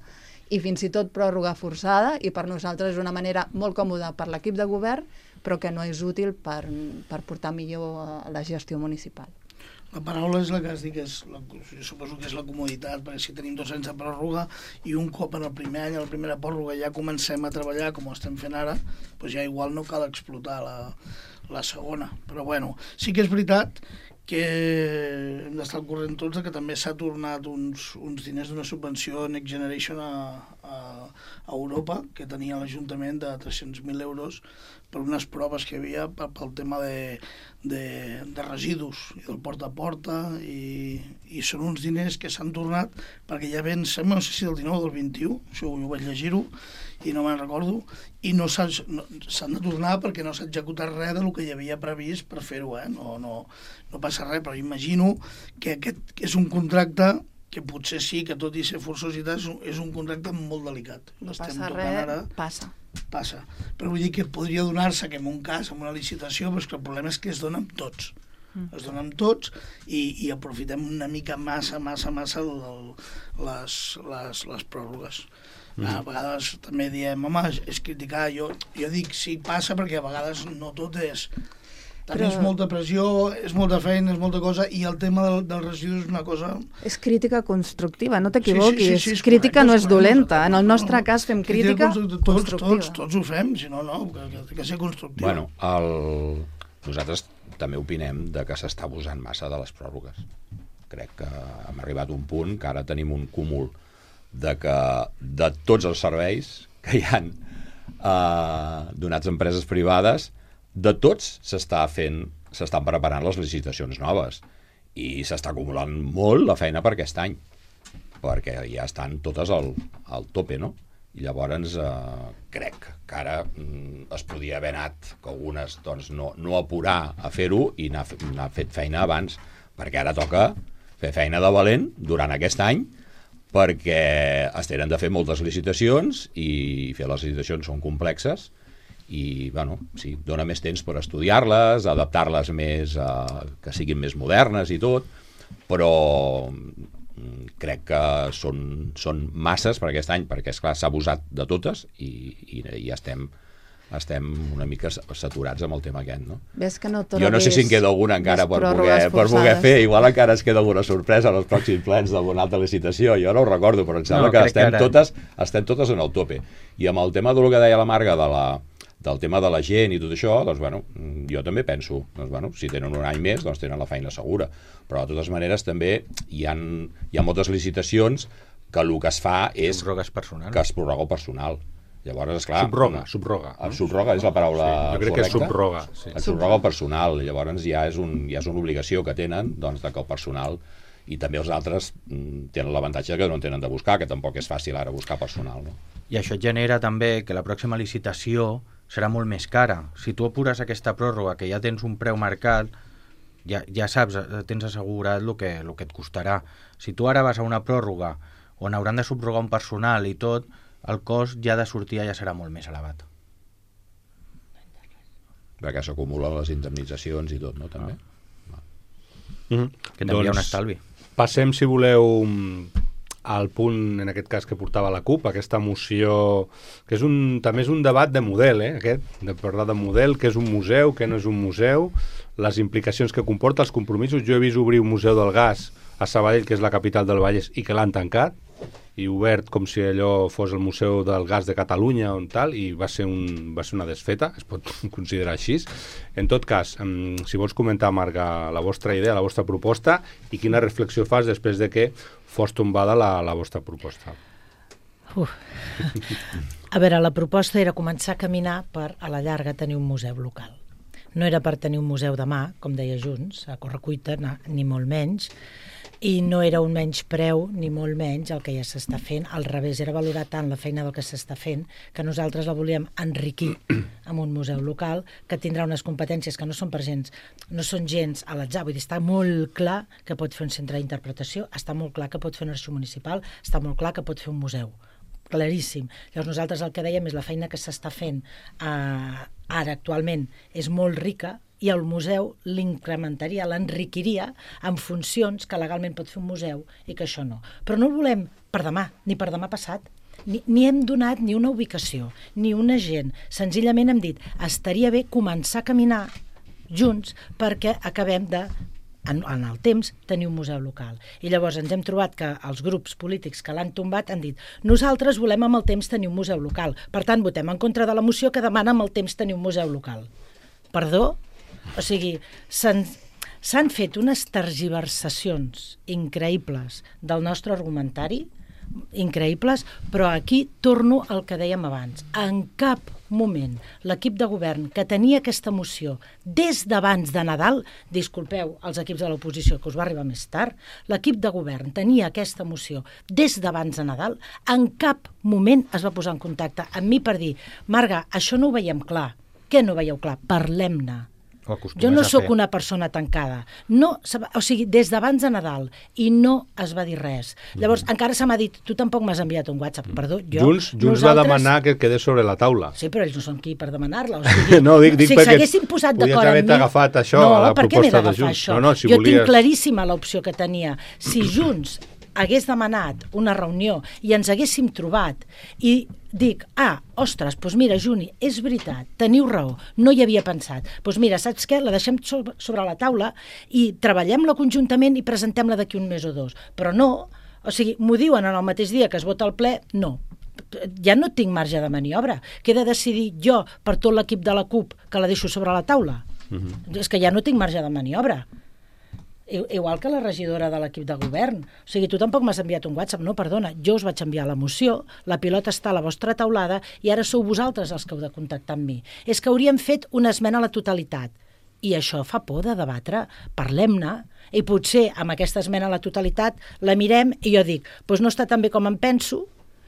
i fins i tot pròrroga forçada, i per nosaltres és una manera molt còmoda per l'equip de govern, però que no és útil per, per portar millor la gestió municipal. La paraula és la que has dit, que és la, jo suposo que és la comoditat, perquè si tenim dos anys de pròrroga i un cop en el primer any, a la primera pròrroga, ja comencem a treballar com ho estem fent ara, doncs ja igual no cal explotar la, la segona. Però bueno, sí que és veritat que hem d'estar al corrent tots que també s'ha tornat uns, uns diners d'una subvenció Next Generation a, a, a Europa, que tenia l'Ajuntament de tres-cents mil euros per unes proves que hi havia pel tema de, de, de residus i del porta a porta, i, i són uns diners que s'han tornat perquè ja ven, sembla, no sé si del dinou o del vint-i-u, això ho vaig llegir-ho i no me'n recordo, i no s'han no, de tornar perquè no s'ha executat res del que hi havia previst per fer-ho, eh? no, no, no passa res, però imagino que aquest és un contracte que potser sí, que tot i ser forçós i tal, és un contracte molt delicat. No passa res, ara, passa. Passa. Però vull dir que podria donar-se que en un cas, en una licitació, però que el problema és que es dona amb tots. Mm. Es dona amb tots i, i aprofitem una mica massa, massa, massa el, el, les, les, les pròrrogues. Mm. A vegades també diem, home, és criticar, jo, jo dic sí, passa, perquè a vegades no tot és... També però... és molta pressió, és molta feina, és molta cosa, i el tema del, del residu és una cosa... És crítica constructiva, no t'equivoquis. Sí, sí, sí, sí, crítica correcte, no és dolenta. En el nostre cas fem crítica tots, constructiva. Tots, tots ho fem, si no, no, que, que, que ser constructiva. Bueno, el... nosaltres també opinem de que s'està abusant massa de les pròrrogues. Crec que hem arribat a un punt que ara tenim un cúmul de que de tots els serveis que hi ha eh, donats a empreses privades, de tots s'està fent, s'estan preparant les licitacions noves i s'està acumulant molt la feina per aquest any, perquè ja estan totes al, al tope, no? I llavors eh, crec que ara mm, es podia haver anat, que algunes doncs, no, no apurar a fer-ho i anar, anar fet feina abans, perquè ara toca fer feina de valent durant aquest any, perquè es tenen de fer moltes licitacions i fer les licitacions són complexes i, bueno, sí, dona més temps per estudiar-les, adaptar-les més, a, que siguin més modernes i tot, però crec que són, són masses per aquest any, perquè, esclar, s'ha abusat de totes i, i, i estem, estem una mica saturats amb el tema aquest, no? Ves que no jo no sé si en queda alguna encara per poder, per poder fer, igual encara es queda alguna sorpresa en els pròxims plens d'alguna altra licitació, jo no ho recordo, però em sembla no, que, estem, que ara... totes, estem totes en el tope. I amb el tema del que deia la Marga de la del tema de la gent i tot això, doncs, bueno, jo també penso, doncs, bueno, si tenen un any més, doncs tenen la feina segura. Però, de totes maneres, també hi ha, hi ha moltes licitacions que el que es fa és personal. que es prorroga el personal. Llavors, esclar... Subroga, subroga. El subroga és la paraula sí, jo crec correcta. Que és subroga. Sí. El subroga el personal. Llavors, ja és, un, ja és una obligació que tenen, doncs, de que el personal... I també els altres mm, tenen l'avantatge que no en tenen de buscar, que tampoc és fàcil ara buscar personal, no? I això genera també que la pròxima licitació serà molt més cara. Si tu apures aquesta pròrroga, que ja tens un preu marcat, ja, ja saps, tens assegurat el que, el que et costarà. Si tu ara vas a una pròrroga on hauran de subrogar un personal i tot, el cost ja de sortir ja serà molt més elevat. Perquè s'acumulen les indemnitzacions i tot, no? També. Ah. Mm-hmm. Que també doncs, hi ha un estalvi. Passem, si voleu, al punt, en aquest cas, que portava la CUP, aquesta moció, que és un, també és un debat de model, eh, aquest, de parlar de model, que és un museu, que no és un museu, les implicacions que comporta, els compromisos. Jo he vist obrir un museu del gas a Sabadell, que és la capital del Vallès, i que l'han tancat, i obert com si allò fos el Museu del Gas de Catalunya o tal, i va ser, un, va ser una desfeta, es pot considerar així. En tot cas, si vols comentar, Marga, la vostra idea, la vostra proposta, i quina reflexió fas després de que fos tombada la, la vostra proposta. Uf. A veure, la proposta era començar a caminar per, a la llarga, tenir un museu local. No era per tenir un museu de mà, com deia Junts, a correcuita, ni molt menys, i no era un menys preu ni molt menys el que ja s'està fent, al revés, era valorar tant la feina del que s'està fent que nosaltres la volíem enriquir amb un museu local que tindrà unes competències que no són per gens, no són gens a l'atzar, vull dir, està molt clar que pot fer un centre d'interpretació, està molt clar que pot fer un arxiu municipal, està molt clar que pot fer un museu, claríssim. Llavors nosaltres el que dèiem és la feina que s'està fent eh, ara actualment és molt rica, i el museu l'incrementaria, l'enriquiria amb funcions que legalment pot fer un museu i que això no. Però no ho volem per demà, ni per demà passat. Ni, ni hem donat ni una ubicació, ni un agent. Senzillament hem dit, estaria bé començar a caminar junts perquè acabem de en, en el temps, tenir un museu local. I llavors ens hem trobat que els grups polítics que l'han tombat han dit nosaltres volem amb el temps tenir un museu local. Per tant, votem en contra de la moció que demana amb el temps tenir un museu local. Perdó? O sigui, s'han s'han fet unes tergiversacions increïbles del nostre argumentari, increïbles, però aquí torno al que dèiem abans. En cap moment l'equip de govern que tenia aquesta moció des d'abans de Nadal, disculpeu els equips de l'oposició que us va arribar més tard, l'equip de govern tenia aquesta moció des d'abans de Nadal, en cap moment es va posar en contacte amb mi per dir Marga, això no ho veiem clar. Què no veieu clar? Parlem-ne. Jo no sóc una persona tancada. No, o sigui, des d'abans de Nadal, i no es va dir res. Llavors, mm. encara se m'ha dit, tu tampoc m'has enviat un WhatsApp, perdó, jo... Junts, Junts nosaltres... va demanar que quedés sobre la taula. Sí, però ells no són qui per demanar-la. O sigui, no, dic, dic si s'haguessin posat d'acord amb mi... Podies haver agafat això no, a la proposta de Junts. Això? No, no, si jo volies... tinc claríssima l'opció que tenia. Si Junts hagués demanat una reunió i ens haguéssim trobat i dic, ah, ostres, doncs mira, Juni, és veritat, teniu raó, no hi havia pensat. Doncs mira, saps què? La deixem sobre la taula i treballem-la conjuntament i presentem-la d'aquí un mes o dos. Però no, o sigui, m'ho diuen en el mateix dia que es vota el ple, no. Ja no tinc marge de maniobra. Què he de decidir jo per tot l'equip de la CUP que la deixo sobre la taula? Uh-huh. És que ja no tinc marge de maniobra. Igual que la regidora de l'equip de govern. O sigui, tu tampoc m'has enviat un WhatsApp. No, perdona, jo us vaig enviar la moció, la pilota està a la vostra taulada i ara sou vosaltres els que heu de contactar amb mi. És que hauríem fet una esmena a la totalitat. I això fa por de debatre. Parlem-ne. I potser amb aquesta esmena a la totalitat la mirem i jo dic, doncs no està tan bé com em penso,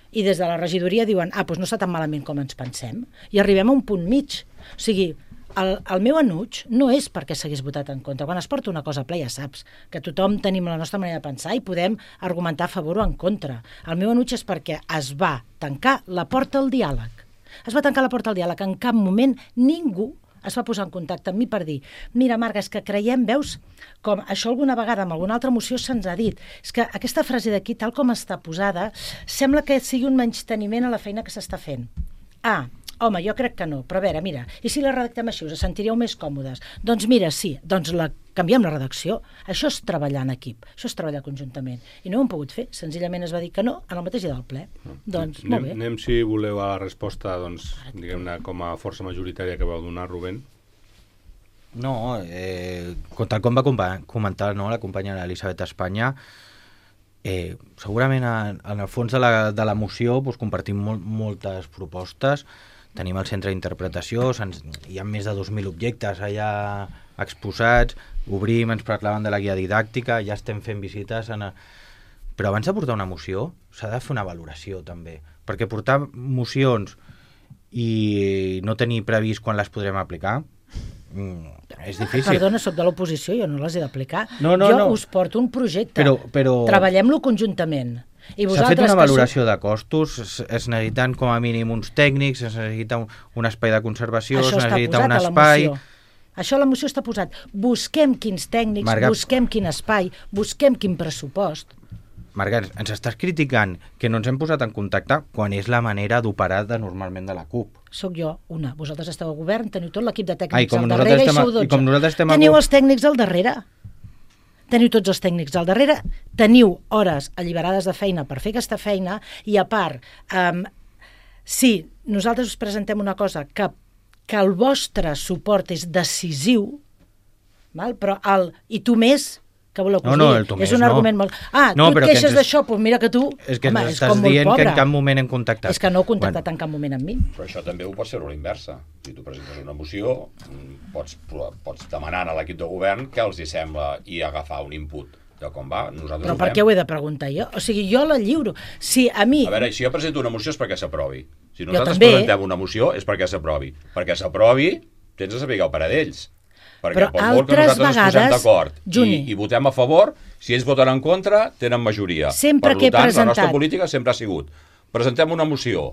i des de la regidoria diuen, ah, doncs no està tan malament com ens pensem. I arribem a un punt mig. O sigui, El, el meu enuig no és perquè s'hagués votat en contra. Quan es porta una cosa a ple ja saps que tothom tenim la nostra manera de pensar i podem argumentar a favor o en contra. El meu enuig és perquè es va tancar la porta al diàleg. Es va tancar la porta al diàleg. En cap moment ningú es va posar en contacte amb mi per dir mira, Marga, és que creiem, veus, com això alguna vegada amb alguna altra moció se'ns ha dit, és que aquesta frase d'aquí, tal com està posada, sembla que sigui un menysteniment a la feina que s'està fent. Ah, home, jo crec que no, però a veure, mira, i si la redactem així, us sentiríeu més còmodes? Doncs mira, sí, doncs la, canviem la redacció. Això és treballar en equip, això és treballar conjuntament. I no ho hem pogut fer, senzillament es va dir que no en el mateix dia del ple. Mm. Doncs, anem, molt bé. Anem, si voleu, a la resposta, doncs, diguem-ne, com a força majoritària que vau donar, Rubén. No, eh, tal com va comentar no, la companya Elisabet Espanya, eh, segurament en, en el fons de la, de la moció doncs, compartim molt, moltes propostes. Tenim el centre d'interpretació, hi ha més de dos mil objectes allà exposats, obrim, ens parlaven de la guia didàctica, ja estem fent visites... En a... Però abans de portar una moció s'ha de fer una valoració també, perquè portar mocions i no tenir previst quan les podrem aplicar és difícil. Perdona, soc de l'oposició, jo no les he d'aplicar. No, no, jo no. us porto un projecte, però, però... treballem-lo conjuntament. S'ha fet una valoració de costos, es necessiten com a mínim uns tècnics, es necessita un, un espai de conservació, això es necessita un espai... Això a la moció està posat. Busquem quins tècnics, Marga... busquem quin espai, busquem quin pressupost. Marga, ens estàs criticant que no ens hem posat en contacte quan és la manera d'operar de normalment de la CUP. Soc jo, una. Vosaltres esteu a govern, teniu tot l'equip de tècnics Ai, al darrere i sou dotze. I teniu a... els tècnics al darrere. Teniu tots els tècnics al darrere, teniu hores alliberades de feina per fer aquesta feina i, a part, um, si nosaltres us presentem una cosa que, que el vostre suport és decisiu, val? Però el i tu més, que voleu que us no, no, digui? És un argument no. molt... Ah, no, tu et queixes d'això, doncs mira que tu... És que home, és estàs dient que en cap moment hem contactat. És que no heu contactat bueno. en cap moment amb mi. Però això també ho pots fer a la inversa. Si tu presentes una moció, pots, pots demanar a l'equip de govern què els hi sembla i agafar un input de com va. Nosaltres però per què ho he de preguntar jo? O sigui, jo la lliuro. Si a mi... A veure, si jo presento una moció és perquè s'aprovi. Si nosaltres presentem una moció és perquè s'aprovi. Perquè s'aprovi, tens de saber el parer d'ells. Perquè però per molt que nosaltres ens posem d'acord i, i votem a favor, si ells voten en contra, tenen majoria. Sempre per que he tant, presentat... la nostra política sempre ha sigut presentem una moció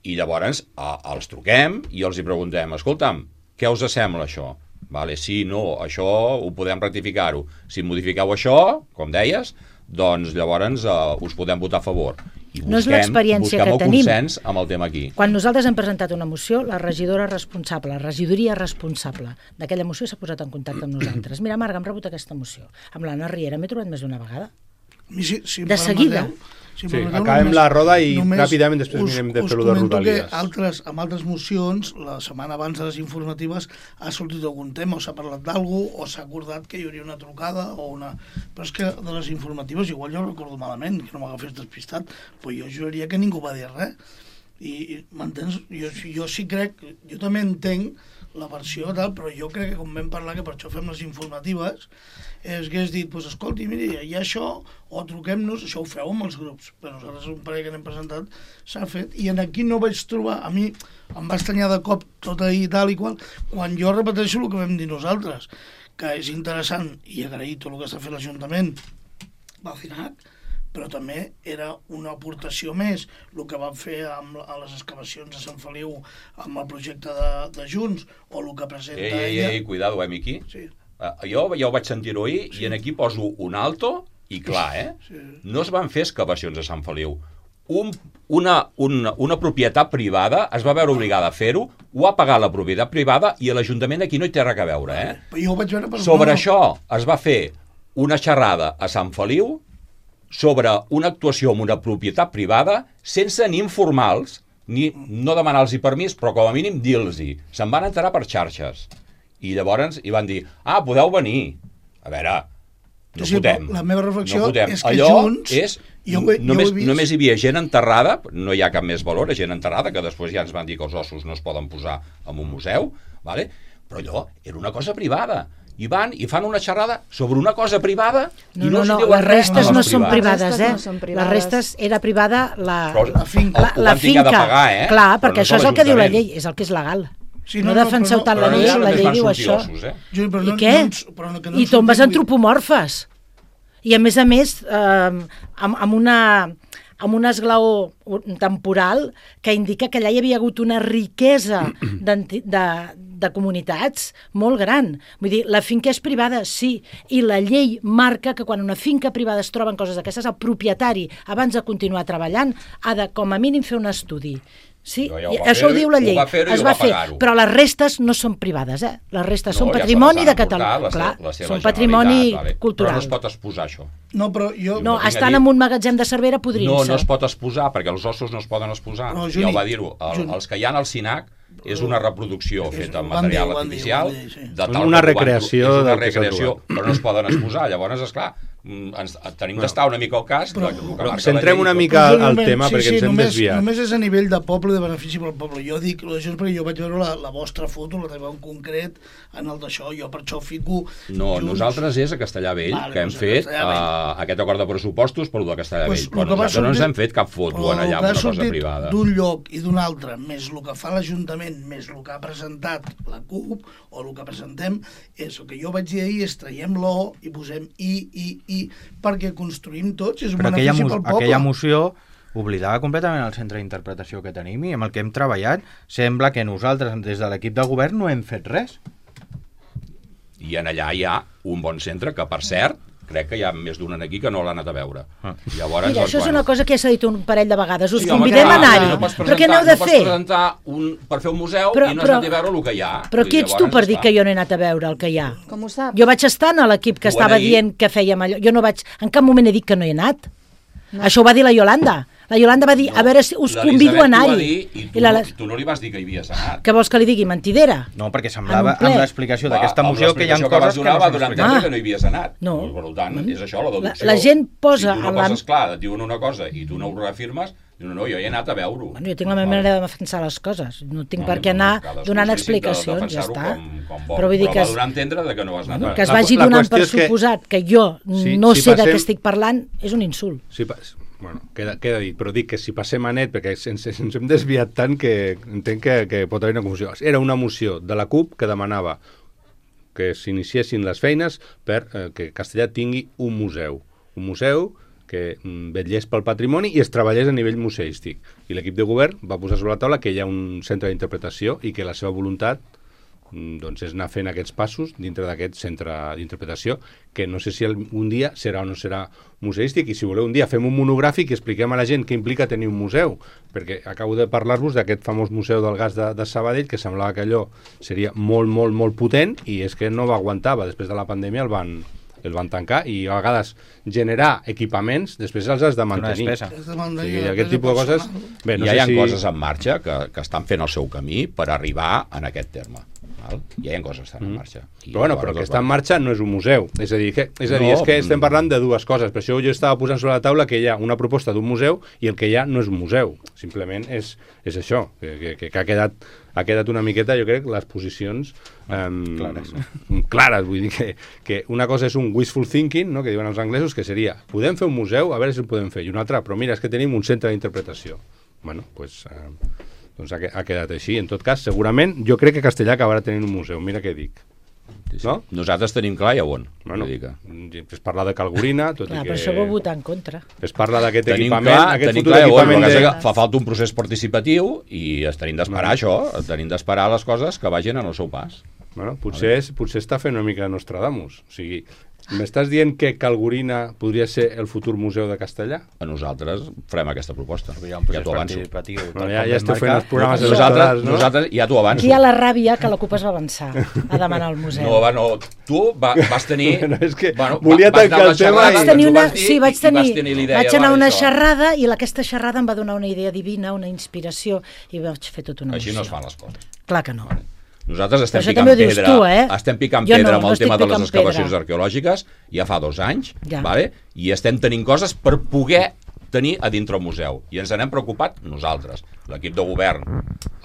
i llavors a, els truquem i els hi preguntem, escolta'm, què us sembla això? Vale, sí, no, això ho podem rectificar-ho. Si modifiqueu això, com deies, doncs llavors uh, us podem votar a favor. i No és busquem, l'experiència busquem que el tenim. consens amb el tema aquí. Quan nosaltres hem presentat una moció, la regidora responsable, la regidoria responsable d'aquella moció s'ha posat en contacte amb nosaltres. Mira, Marga, hem rebut aquesta moció. Amb l'Anna Riera m'he trobat més d'una vegada. Si, si De seguida. Si Sí, acabem la roda i ràpidament després us, mirem de us fer-ho de comento Rodalies. que altres, amb altres mocions, la setmana abans de les informatives, ha sortit algun tema, o s'ha parlat d'algú, o s'ha acordat que hi hauria una trucada, o una... Però és que de les informatives, igual jo recordo malament, que no m'agafés despistat, però jo juraria que ningú va dir res. I, i m'entens? Jo, jo sí crec, jo també entenc la versió tal, però jo crec que com vam parlar, que per això fem les informatives, és que has dit, pues, escolti, miri, hi ha això, o truquem-nos, això ho feu amb els grups, però nosaltres un parell que n'hem presentat s'ha fet, i en aquí no vaig trobar, a mi em va estranyar de cop tot ahir tal i qual, quan jo repeteixo el que vam dir nosaltres, que és interessant, i agrair tot el que està fent l'Ajuntament, va C I N A C, però també era una aportació més el que van fer amb, a les excavacions de Sant Feliu amb el projecte de, de Junts, o el que presenta Ei, ei, ella... ei, cuidado, eh, Miqui? Sí. Uh, jo ja ho vaig sentir-ho ahir, sí. I en aquí poso un alto, i clar, eh? Sí. No es van fer excavacions a Sant Feliu. Un, una, una, una propietat privada es va veure obligada a fer-ho, ho ha pagat la propietat privada, i l'Ajuntament aquí no hi té res a veure, eh? Però jo ho vaig veure per... Sobre això es va fer una xerrada a Sant Feliu sobre una actuació amb una propietat privada sense ni informals, ni no demanar-los permís, però com a mínim dir-los-hi. Se'n van enterar per xarxes. I llavors hi van dir, ah, podeu venir. A veure, no sí, fotem. La meva reflexió no fotem. és que Allò Junts... és, jo ho he, només, jo ho he vist. només hi havia gent enterrada, no hi ha cap més valor, gent enterrada, que després ja ens van dir que els ossos no es poden posar en un museu, vale? Però allò era una cosa privada. I van i fan una xerrada sobre una cosa privada No, i no, no, no, diuen les restes res no als són privats. privades, eh? No són Les privades. restes era privada la, Però La finca. la, ho la van tingar finca. de pagar, eh? Clar, Però perquè no això és són el que diu la l'Ajuntament. llei, és el que és legal. Sí, no, no, no, defenseu però no- tant la però llei, allà la només llei van diu sortir això. ossos, eh? Juli, però I no, què? no ens- però no, que no I ens tombes sortim- antropomorfes. I a més a més, eh, amb, amb una amb un esglaó temporal que indica que allà hi havia hagut una riquesa de, de comunitats molt gran. Vull dir, la finca és privada, sí, i la llei marca que quan una finca privada es troben coses d'aquestes, el propietari, abans de continuar treballant, ha de, com a mínim, fer un estudi. Sí, Ja ho va això ho fer, diu la ho llei. va fer i es ho va va fer, pagar-ho. però les restes no són privades, eh? Les restes No, són ja se patrimoni les han de Catalunya. emportat, la Clar, se- la seva són patrimoni Generalitat, vale. cultural. Però no es pot exposar, això. No, però jo... No, vinc a estan dir- en un magatzem de Cervera podrint-se. No, no es pot exposar, perquè els ossos no es poden exposar. No, ja Juni, ho va dir-ho. El, Juni. els que hi ha al C I N A C és una reproducció És- feta amb ho van dir, material ho van dir, artificial, ho van dir, sí. de tal Una com ho van- recreació és una del que s'ha recreació, trobat. però no es poden exposar. Llavors, esclar, mm, ens, tenim d'estar una mica al cas Però- del que Però marca centrem la una llei i mica tot. al Moment, tema perquè ens hem només, desviat. Només és a nivell de poble i de benefici pel poble. Jo dic això perquè jo vaig veure la, la vostra foto, la teva en concret, en el d'això, jo per això fico... No, Junts. nosaltres és a Castellà Vell, Vale, que hem doncs a fet Castellà Vell. uh, aquest acord de pressupostos per lo de Castellà Pues, Vell. Però el que va nosaltres no ens sortir- hem fet cap foto però en allà el que amb ha una cosa sortit privada. d'un lloc i d'un altre, més el que fa l'Ajuntament, més el que ha presentat la CUP, o el que presentem, és el que jo vaig dir ahir, és traiem-lo i posem i, i, i, perquè construïm tots, és un Però aquella, benefici mo pel poble. aquella moció oblidava completament el centre d'interpretació que tenim i amb el que hem treballat sembla que nosaltres, des de l'equip de govern, no hem fet res. I en allà hi ha un bon centre que, per cert, crec que hi ha més d'un aquí que no l'ha anat a veure. Ah. Llavors, Mira, doncs, això és bueno. una cosa que ja s'ha dit un parell de vegades. Us Sí, home, convidem clar, a anar-hi. no pots Però què n'heu de no fer? pots presentar un, per fer un museu Però- i no has però- anat a veure el que hi ha. Però I qui ets tu llavors, per dir esclar, que jo no he anat a veure el que hi ha? Com ho saps? Jo vaig estar en l'equip que Ho estava he dit. dient que fèiem allò. Jo no vaig... En cap moment he dit que no hi he anat. No. Això ho va dir la Yolanda. La Yolanda va dir, No, a veure, si us l'Elisabet convido a t'ho va anar-hi. dir I tu, I la... no, tu no li vas dir que hi havies anat. Què vols que li digui? Mentidera? No, perquè En semblava, un ple. amb l'explicació d'aquesta Va, amb moció, que hi ha l'explicació coses vas que donar, no va s'han donar a explicat. entendre Ah. que no hi havies anat. No. Per tant, és això, la deducció. La- la gent posa Si tu no en la- poses clar, et diuen una cosa i tu no ho reafirmes, diu, no, no, jo he anat a veure-ho. Bueno, jo tinc la meva manera de defensar les coses. No tinc No, per què no, anar cadascú donant és lícit de explicacions, ja defensar-ho està. Com, com vol. Però vull dir que va es- donar a entendre de que no vas anar a Que es La- vagi la donant per qüestió és que- suposat que jo Sí, no si sé de passem- què estic parlant, és un insult. Sí, pas... bueno, queda, queda dit, però dic que si passem a net, perquè ens, ens hem desviat tant que entenc que, que pot haver una confusió. Era una moció de la CUP que demanava que s'iniciessin les feines per eh, que Castellà tingui un museu. Un museu que mm, vetllés pel patrimoni i es treballés a nivell museístic. I l'equip de govern va posar sobre la taula que hi ha un centre d'interpretació i que la seva voluntat doncs és anar fent aquests passos dintre d'aquest centre d'interpretació, que no sé si un dia serà o no serà museístic, i si voleu un dia fem un monogràfic i expliquem a la gent què implica tenir un museu, perquè acabo de parlar-vos d'aquest famós museu del gas de, de Sabadell, que semblava que allò seria molt, molt, molt potent, i és que no va aguantar, després de la pandèmia el van, el van tancar, i a vegades generar equipaments, després els has de mantenir. Una despesa. O sigui, aquest tipus de coses... Bé, no ja sé hi ha si... coses en marxa que, que estan fent el seu camí per arribar en aquest terme. Val? Ja hi ha coses que estan en marxa. I però bueno, però que està en marxa no és un museu. És a dir, que, és, a dir No, és que estem parlant de dues coses. Per això jo estava posant sobre la taula que hi ha una proposta d'un museu i el que hi ha no és un museu. Simplement és, és això, que, que, que ha, quedat, ha quedat una miqueta, jo crec, les posicions um, clares. clares. Vull dir que, que una cosa és un wishful thinking, no?, que diuen els anglesos, que seria, podem fer un museu, a veure si el podem fer. I una altra, però mira, és que tenim un centre d'interpretació. Bueno, doncs... Pues, uh, doncs ha, ha quedat així. En tot cas, segurament, jo crec que Castellà acabarà tenint un museu. Mira què dic. Sí, sí. No? Nosaltres tenim clar i a on. Bueno, que... es parla de Calgorina, tot Clar, i que... però això ho votar en contra. Es parla d'aquest tenim equipament, clar, aquest tenim futur clar, equipament bueno, de... que fa falta un procés participatiu i es tenim d'esperar això, tenim d'esperar les coses que vagin en el seu pas. Bueno, potser, és, potser està fent una mica Nostradamus. O sigui, m'estàs dient que Calgorina podria ser el futur museu de Castellà? A nosaltres farem aquesta proposta. Hi ha un procés ja t'ho avanço. participatiu. Bueno, ja, ja esteu fent els programes Nosaltres, electorals, no? nosaltres ja t'ho avanço. Aquí hi ha la ràbia que la CUP es va avançar a demanar al museu. No, va, no. Tu va, vas tenir... No, és que bueno, volia vas anar tancar a una el tema xerrada, i- Vaig tenir ens ho una, vas dir sí, vaig i tenir, vas tenir l'idea vaig anar a de una això. xerrada i aquesta xerrada em va donar una idea divina, una inspiració, i vaig fer tota una Així no es moció. fan les coses. Clar que no. Nosaltres estem Això picant també ho dius pedra, tu, eh? estem picant Jo pedra no, amb no el tema estic de les picant excavacions pedra. arqueològiques ja fa dos anys, Ja. vale? I estem tenint coses per poder tenir a dintre el museu. I ens n'hem preocupat nosaltres. L'equip de govern,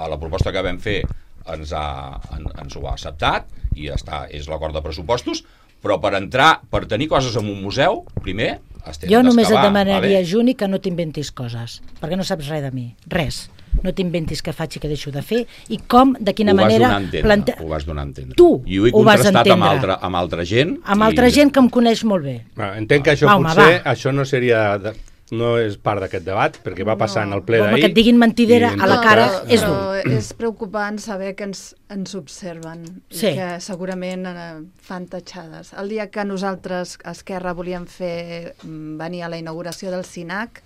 a la proposta que vam fer, ens, ha, en, ens ho ha acceptat i està, és l'acord de pressupostos, però per entrar, per tenir coses en un museu, primer es tenen Jo només et d'excavar, demanaria, vale? Juni, que no t'inventis coses, perquè no saps res de mi, res. No t'inventis què faig i què deixo de fer i com, de quina Ho vas manera... donar a entendre, plante- ho vas donar a entendre. Tu I ho he ho vas contrastat amb entendre. altra, amb altra gent. Amb altra i... gent que em coneix molt bé. Bueno, entenc que això Va, home, potser va. això no seria de, no és part d'aquest debat, perquè va passar en el ple Home, d'ahir. que et diguin mentidera i en a la tot cara cas- és dur. Però és preocupant saber que ens, ens observen Sí. i que segurament eh, fan tatxades. El dia que nosaltres, Esquerra, volíem fer mm, venir a la inauguració del SINAC,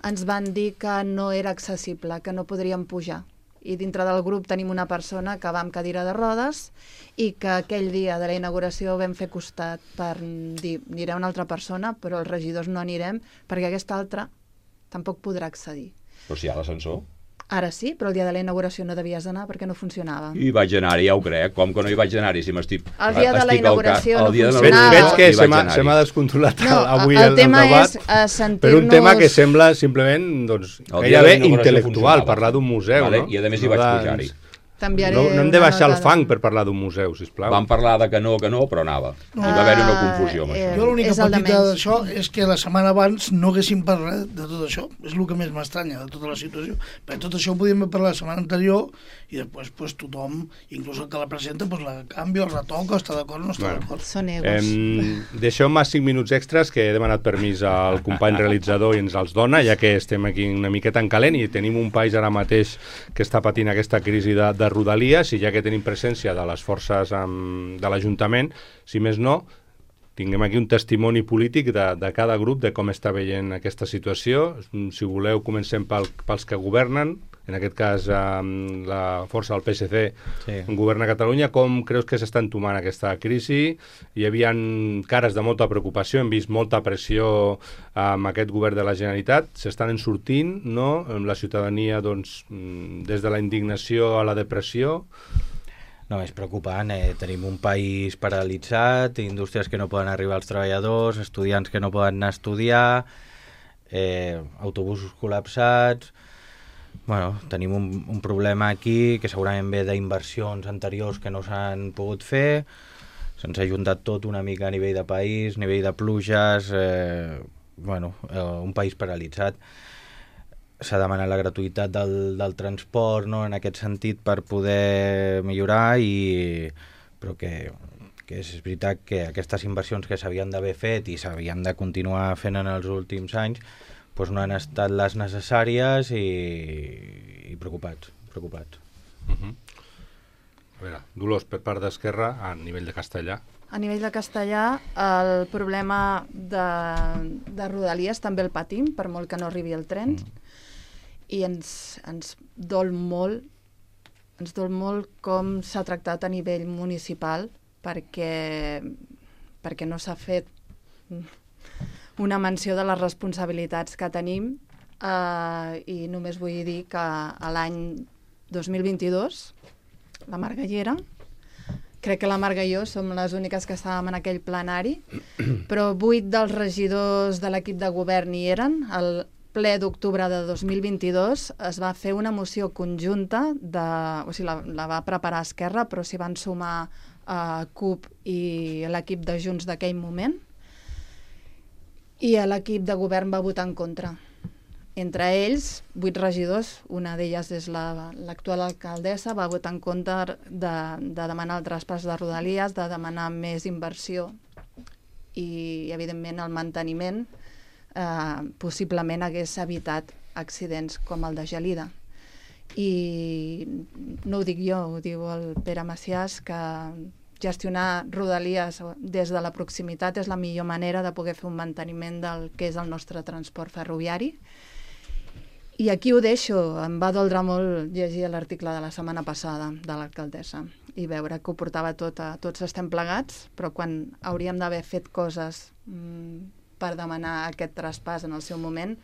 ens van dir que no era accessible, que no podríem pujar. I dintre del grup tenim una persona que va amb cadira de rodes i que aquell dia de la inauguració vam fer costat per dir anirà una altra persona, però els regidors no anirem perquè aquesta altra tampoc podrà accedir. Però si hi ha l'ascensor. Ara sí, però el dia de la inauguració no devies anar perquè no funcionava. I vaig anar-hi, ja ho crec. Com que no hi vaig anar-hi, si m'estic... El dia de la estic al inauguració cas- no el dia de la Veig, funcionava. veig inauguració que hi se vaig m'ha anar-hi. se m'ha descontrolat No, avui el el, el tema debat és, eh, sentir-nos- per un tema que sembla simplement doncs, El dia de la gairebé inauguració intel·lectual, funcionava. parlar d'un museu. Vale, No? i a més hi No vaig de- pujar-hi. T'enviaré No, no hem de una baixar el nota de- fang per parlar d'un museu, sisplau. Vam parlar de que no, que no, però anava. Hi va haver una confusió amb Ah, això. eh, Jo l'única és el de petita menys. d'això és que la setmana abans no haguéssim parlat de tot això. És el que més m'estranya de tota la situació. Perquè tot això ho podíem haver parlat la setmana anterior i després pues, tothom, inclús el que la presenta, pues, la canvia, el retoca, està d'acord o no està Bueno. d'acord. Són egos. Em, Deixeu-me cinc minuts extras, que he demanat permís al company realitzador i ens els dona, ja que estem aquí una miqueta en calent i tenim un país ara mateix que està patint aquesta crisi de, de rodalies, i ja que tenim presència de les forces um, de l'Ajuntament, si més no, tinguem aquí un testimoni polític de, de cada grup de com està veient aquesta situació. Si voleu, comencem pel, pels que governen, en aquest cas um, la força del P S C Sí. governa a Catalunya. Com creus que s'està entomant aquesta crisi? Hi havia cares de molta preocupació, hem vist molta pressió amb aquest govern de la Generalitat, s'estan en sortint, no? La ciutadania, doncs, des de la indignació a la depressió. No, és preocupant. Eh? Tenim un país paralitzat, indústries que no poden arribar als treballadors, estudiants que no poden anar a estudiar, eh, autobusos col·lapsats... Bueno, tenim un, un problema aquí que segurament ve d'inversions anteriors que no s'han pogut fer. Se'ns ha juntat tot una mica a nivell de país, nivell de pluges... Eh, bueno, eh, un país paralitzat. S'ha demanat la gratuïtat del, del transport, no?, en aquest sentit, per poder millorar, i però que, que és veritat que aquestes inversions que s'havien d'haver fet i s'havien de continuar fent en els últims anys doncs no han estat les necessàries, i, i preocupats, preocupats. Uh-huh. A veure, Dolors, per part d'Esquerra, a nivell de castellà. A nivell de castellà, el problema de, de Rodalies també el patim, per molt que no arribi el tren, mm. i ens, ens dol molt, ens dol molt com s'ha tractat a nivell municipal, perquè, perquè no s'ha fet una menció de les responsabilitats que tenim, eh, i només vull dir que a l'any dos mil vint-i-dos, la Margallera, crec que la Marga i jo som les úniques que estàvem en aquell plenari, però vuit dels regidors de l'equip de govern hi eren. El ple d'octubre de dos mil vint-i-dos es va fer una moció conjunta, de, o sigui, la, la va preparar Esquerra, però s'hi van sumar a C U P i l'equip de Junts d'aquell moment, i l'equip de govern va votar en contra. Entre ells, vuit regidors, una d'elles és la, l'actual alcaldessa, va votar en contra de, de demanar el traspàs de Rodalies, de demanar més inversió i, evidentment, el manteniment eh, possiblement hagués evitat accidents com el de Gelida. I no ho dic jo, ho diu el Pere Maciàs, que gestionar Rodalies des de la proximitat és la millor manera de poder fer un manteniment del que és el nostre transport ferroviari. I aquí ho deixo. Em va doldre molt llegir l'article de la setmana passada de l'alcaldessa i veure que ho portava tot a tots estem plegats, però quan hauríem d'haver fet coses mmm, per demanar aquest traspàs en el seu moment,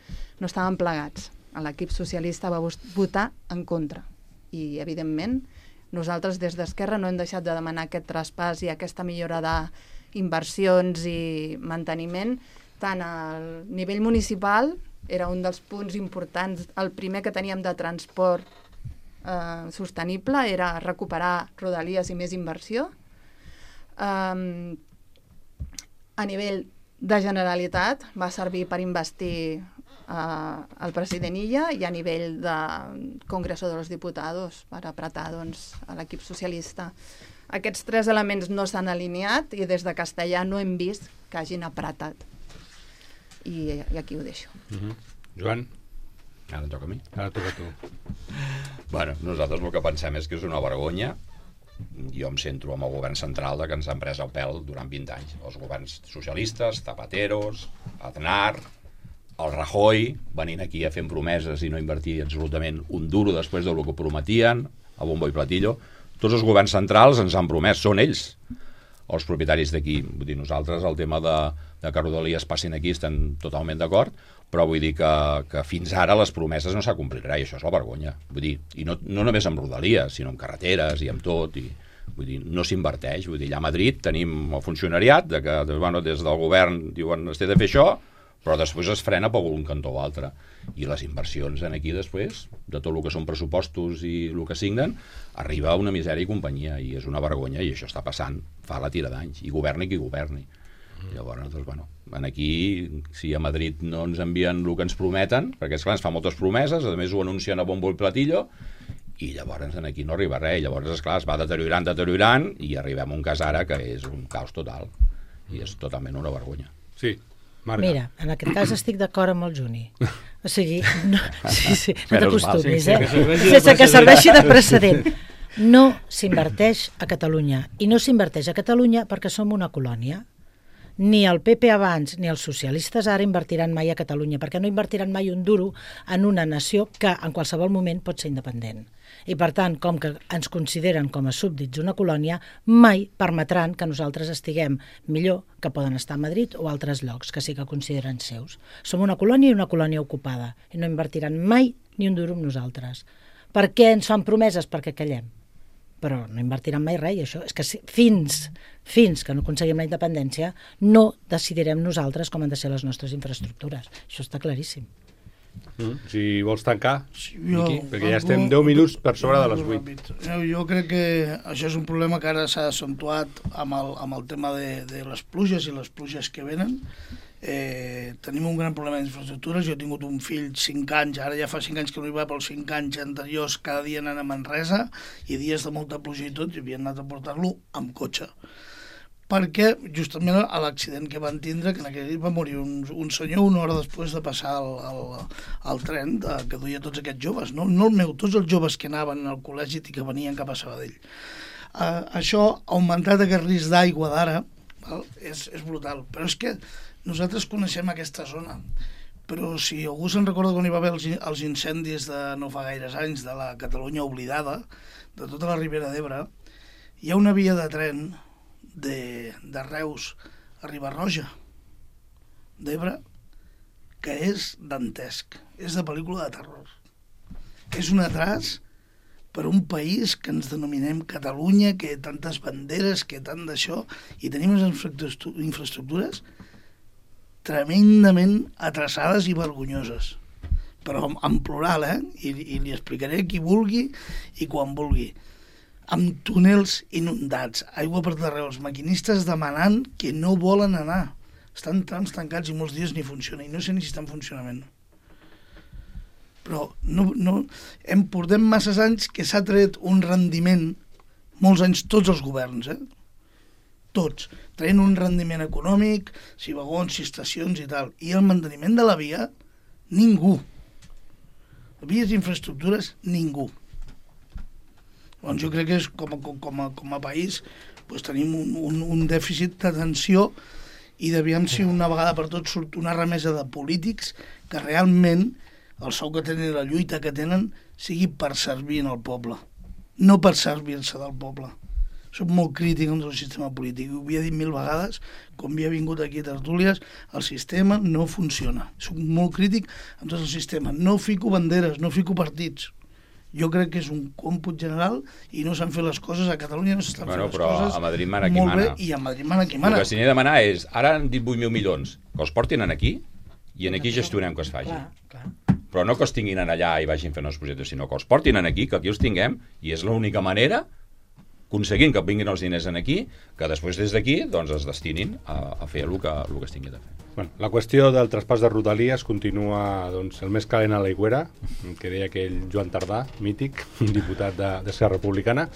no estàvem plegats. L'equip socialista va votar en contra i, evidentment, nosaltres des d'Esquerra no hem deixat de demanar aquest traspàs i aquesta millora d'inversions i manteniment tant al nivell municipal. Era un dels punts importants. El primer que teníem de transport eh, sostenible era recuperar Rodalies i més inversió. Um, a nivell de Generalitat va servir per investir uh, el president Illa, i a nivell de Congreso de los Diputados per apretar doncs, a l'equip socialista. Aquests tres elements no s'han alineat i des de Castellà no hem vist que hagin apretat. I, i aquí ho deixo. Uh-huh. Joan? Ara toca a mi. Ara toca a tu. Bueno, nosaltres el que pensem és que és una vergonya. Jo em centro amb el govern central de que ens han pres el pèl durant vint anys. Els governs socialistes, Zapateros, Aznar, el Rajoy, venint aquí a fer promeses i no invertir absolutament un duro després del que prometien, a bombo i platillo. Tots els governs centrals ens han promès, són ells els propietaris d'aquí. Vull dir, nosaltres el tema de, de que Rodalies passin aquí estem totalment d'acord, però vull dir que, que fins ara les promeses no s'ha complit res, i això és la vergonya. Vull dir, i no, no només amb Rodalies, sinó amb carreteres i amb tot, i vull dir, no s'inverteix. Vull dir, allà a Madrid tenim el funcionariat de que, bueno, des del govern diuen es té de fer això, però després es frena per un cantó o altre. I les inversions en aquí després, de tot el que són pressupostos i el que signen, arriba a una misèria i companyia, i és una vergonya, i això està passant fa la tira d'anys, i governi qui governi. Mm. Llavors, doncs, bueno, en aquí, si a Madrid no ens envien el que ens prometen, perquè esclar, ens fa moltes promeses, a més ho anuncien a bombo i platillo, i llavors en aquí no arriba res, llavors, esclar, es va deteriorant, deteriorant, i arribem a un cas ara que és un caos total, i és totalment una vergonya. Sí. Marga. Mira, en aquest cas estic d'acord amb el Juni. O sigui, no, sí, sí, no t'acostumis, eh? Sense que serveixi de precedent. No s'inverteix a Catalunya. I no s'inverteix a Catalunya perquè som una colònia. Ni el P P abans ni els socialistes ara invertiran mai a Catalunya, perquè no invertiran mai un duro en una nació que en qualsevol moment pot ser independent. I per tant, com que ens consideren com a súbdits una colònia, mai permetran que nosaltres estiguem millor que poden estar a Madrid o altres llocs que sí que consideren seus. Som una colònia i una colònia ocupada, i no invertiran mai ni un duro amb nosaltres. Per què ens fan promeses? Perquè callem. Però no invertiran mai res, i això és que fins, fins que no aconseguim la independència no decidirem nosaltres com han de ser les nostres infraestructures. Això està claríssim. Mm. Si vols tancar, sí, jo, Miqui, perquè ja estem deu minuts per sobre de les vuit. Jo, jo crec que això és un problema que ara s'ha accentuat amb el, amb el tema de, de les pluges i les pluges que venen. Eh, tenim un gran problema d'infraestructures. Jo he tingut un fill cinc anys, ara ja fa cinc anys que no hi va, però els cinc anys anteriors cada dia anant a Manresa, i dies de molta pluja i tot, i havien anat a portar-lo amb cotxe, perquè justament a l'accident que van tindre, que en aquell dia va morir un, un senyor una hora després de passar el, el, el tren de, que duia tots aquests joves, no, no el meu, tots els joves que anaven al col·legi i que venien cap a Sabadell. Uh, això, augmentat aquest risc d'aigua d'ara, és, és brutal. Però és que nosaltres coneixem aquesta zona. Però si algú se'n recorda quan hi va haver els, els incendis de no fa gaires anys de la Catalunya oblidada, de tota la Ribera d'Ebre, hi ha una via de tren de, de Reus a Riba-roja d'Ebre que és dantesc, és de pel·lícula de terror. És un atràs per un país que ens denominem Catalunya, que tantes banderes, que tant d'això, i tenim unes infraestructures tremendament atrasades i vergonyoses. Però en plural, eh? I, i li explicaré a qui vulgui i quan vulgui. Amb túnels inundats, aigua per darrere, els maquinistes demanant que no volen anar. Estan trams tancats i molts dies ni funciona, i no sé ni si està en funcionament. Però no, no, hem portem masses anys que s'ha tret un rendiment, molts anys, tots els governs, eh? Tots, traient un rendiment econòmic, si vagons, si estacions i tal, i el manteniment de la via, ningú. Vies i infraestructures, ningú. Doncs jo crec que és, com, a, com, a, com a país doncs tenim un, un, un dèficit d'atenció i devíem si una vegada per tot surt una remesa de polítics que realment el sou que tenen i la lluita que tenen sigui per servir al poble, no per servir-se del poble. Soc molt crític amb el sistema polític, ho havia dit mil vegades, com havia vingut aquí a tertúlies, el sistema no funciona. Soc molt crític amb tot el sistema, no fico banderes, no fico partits. Jo crec que és un còmput general i no s'han fet les coses, a Catalunya no s'estan bueno, fent les coses a Madrid mana qui molt mana. bé, i a Madrid mana qui mana. El que s'hi ha de demanar és, ara han dit vuit mil milions, que els portin aquí i en aquí gestionem que es faci. Clar, clar. Però no que els tinguin allà i vagin fent els projectes, sinó que els portin aquí, que aquí els tinguem, i és l'única manera, aconseguint que vinguin els diners aquí, que després des d'aquí doncs, es destinin a, a fer el que, el que es tingui de fer. Bueno, la qüestió del traspàs de Rodalies continua doncs, el més calent a l'aigüera, que deia aquell Joan Tardà, mític, un diputat d'Esquerra Republicana.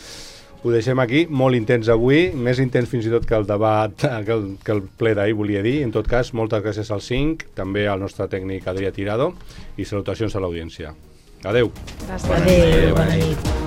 Ho deixem aquí, molt intens avui, més intens fins i tot que el debat, que el, que el ple d'ahir volia dir. En tot cas, moltes gràcies al cinc, també al nostre tècnic Adrià Tirado, i salutacions a l'audiència. Adeu. Gràcies. Adéu, bona nit.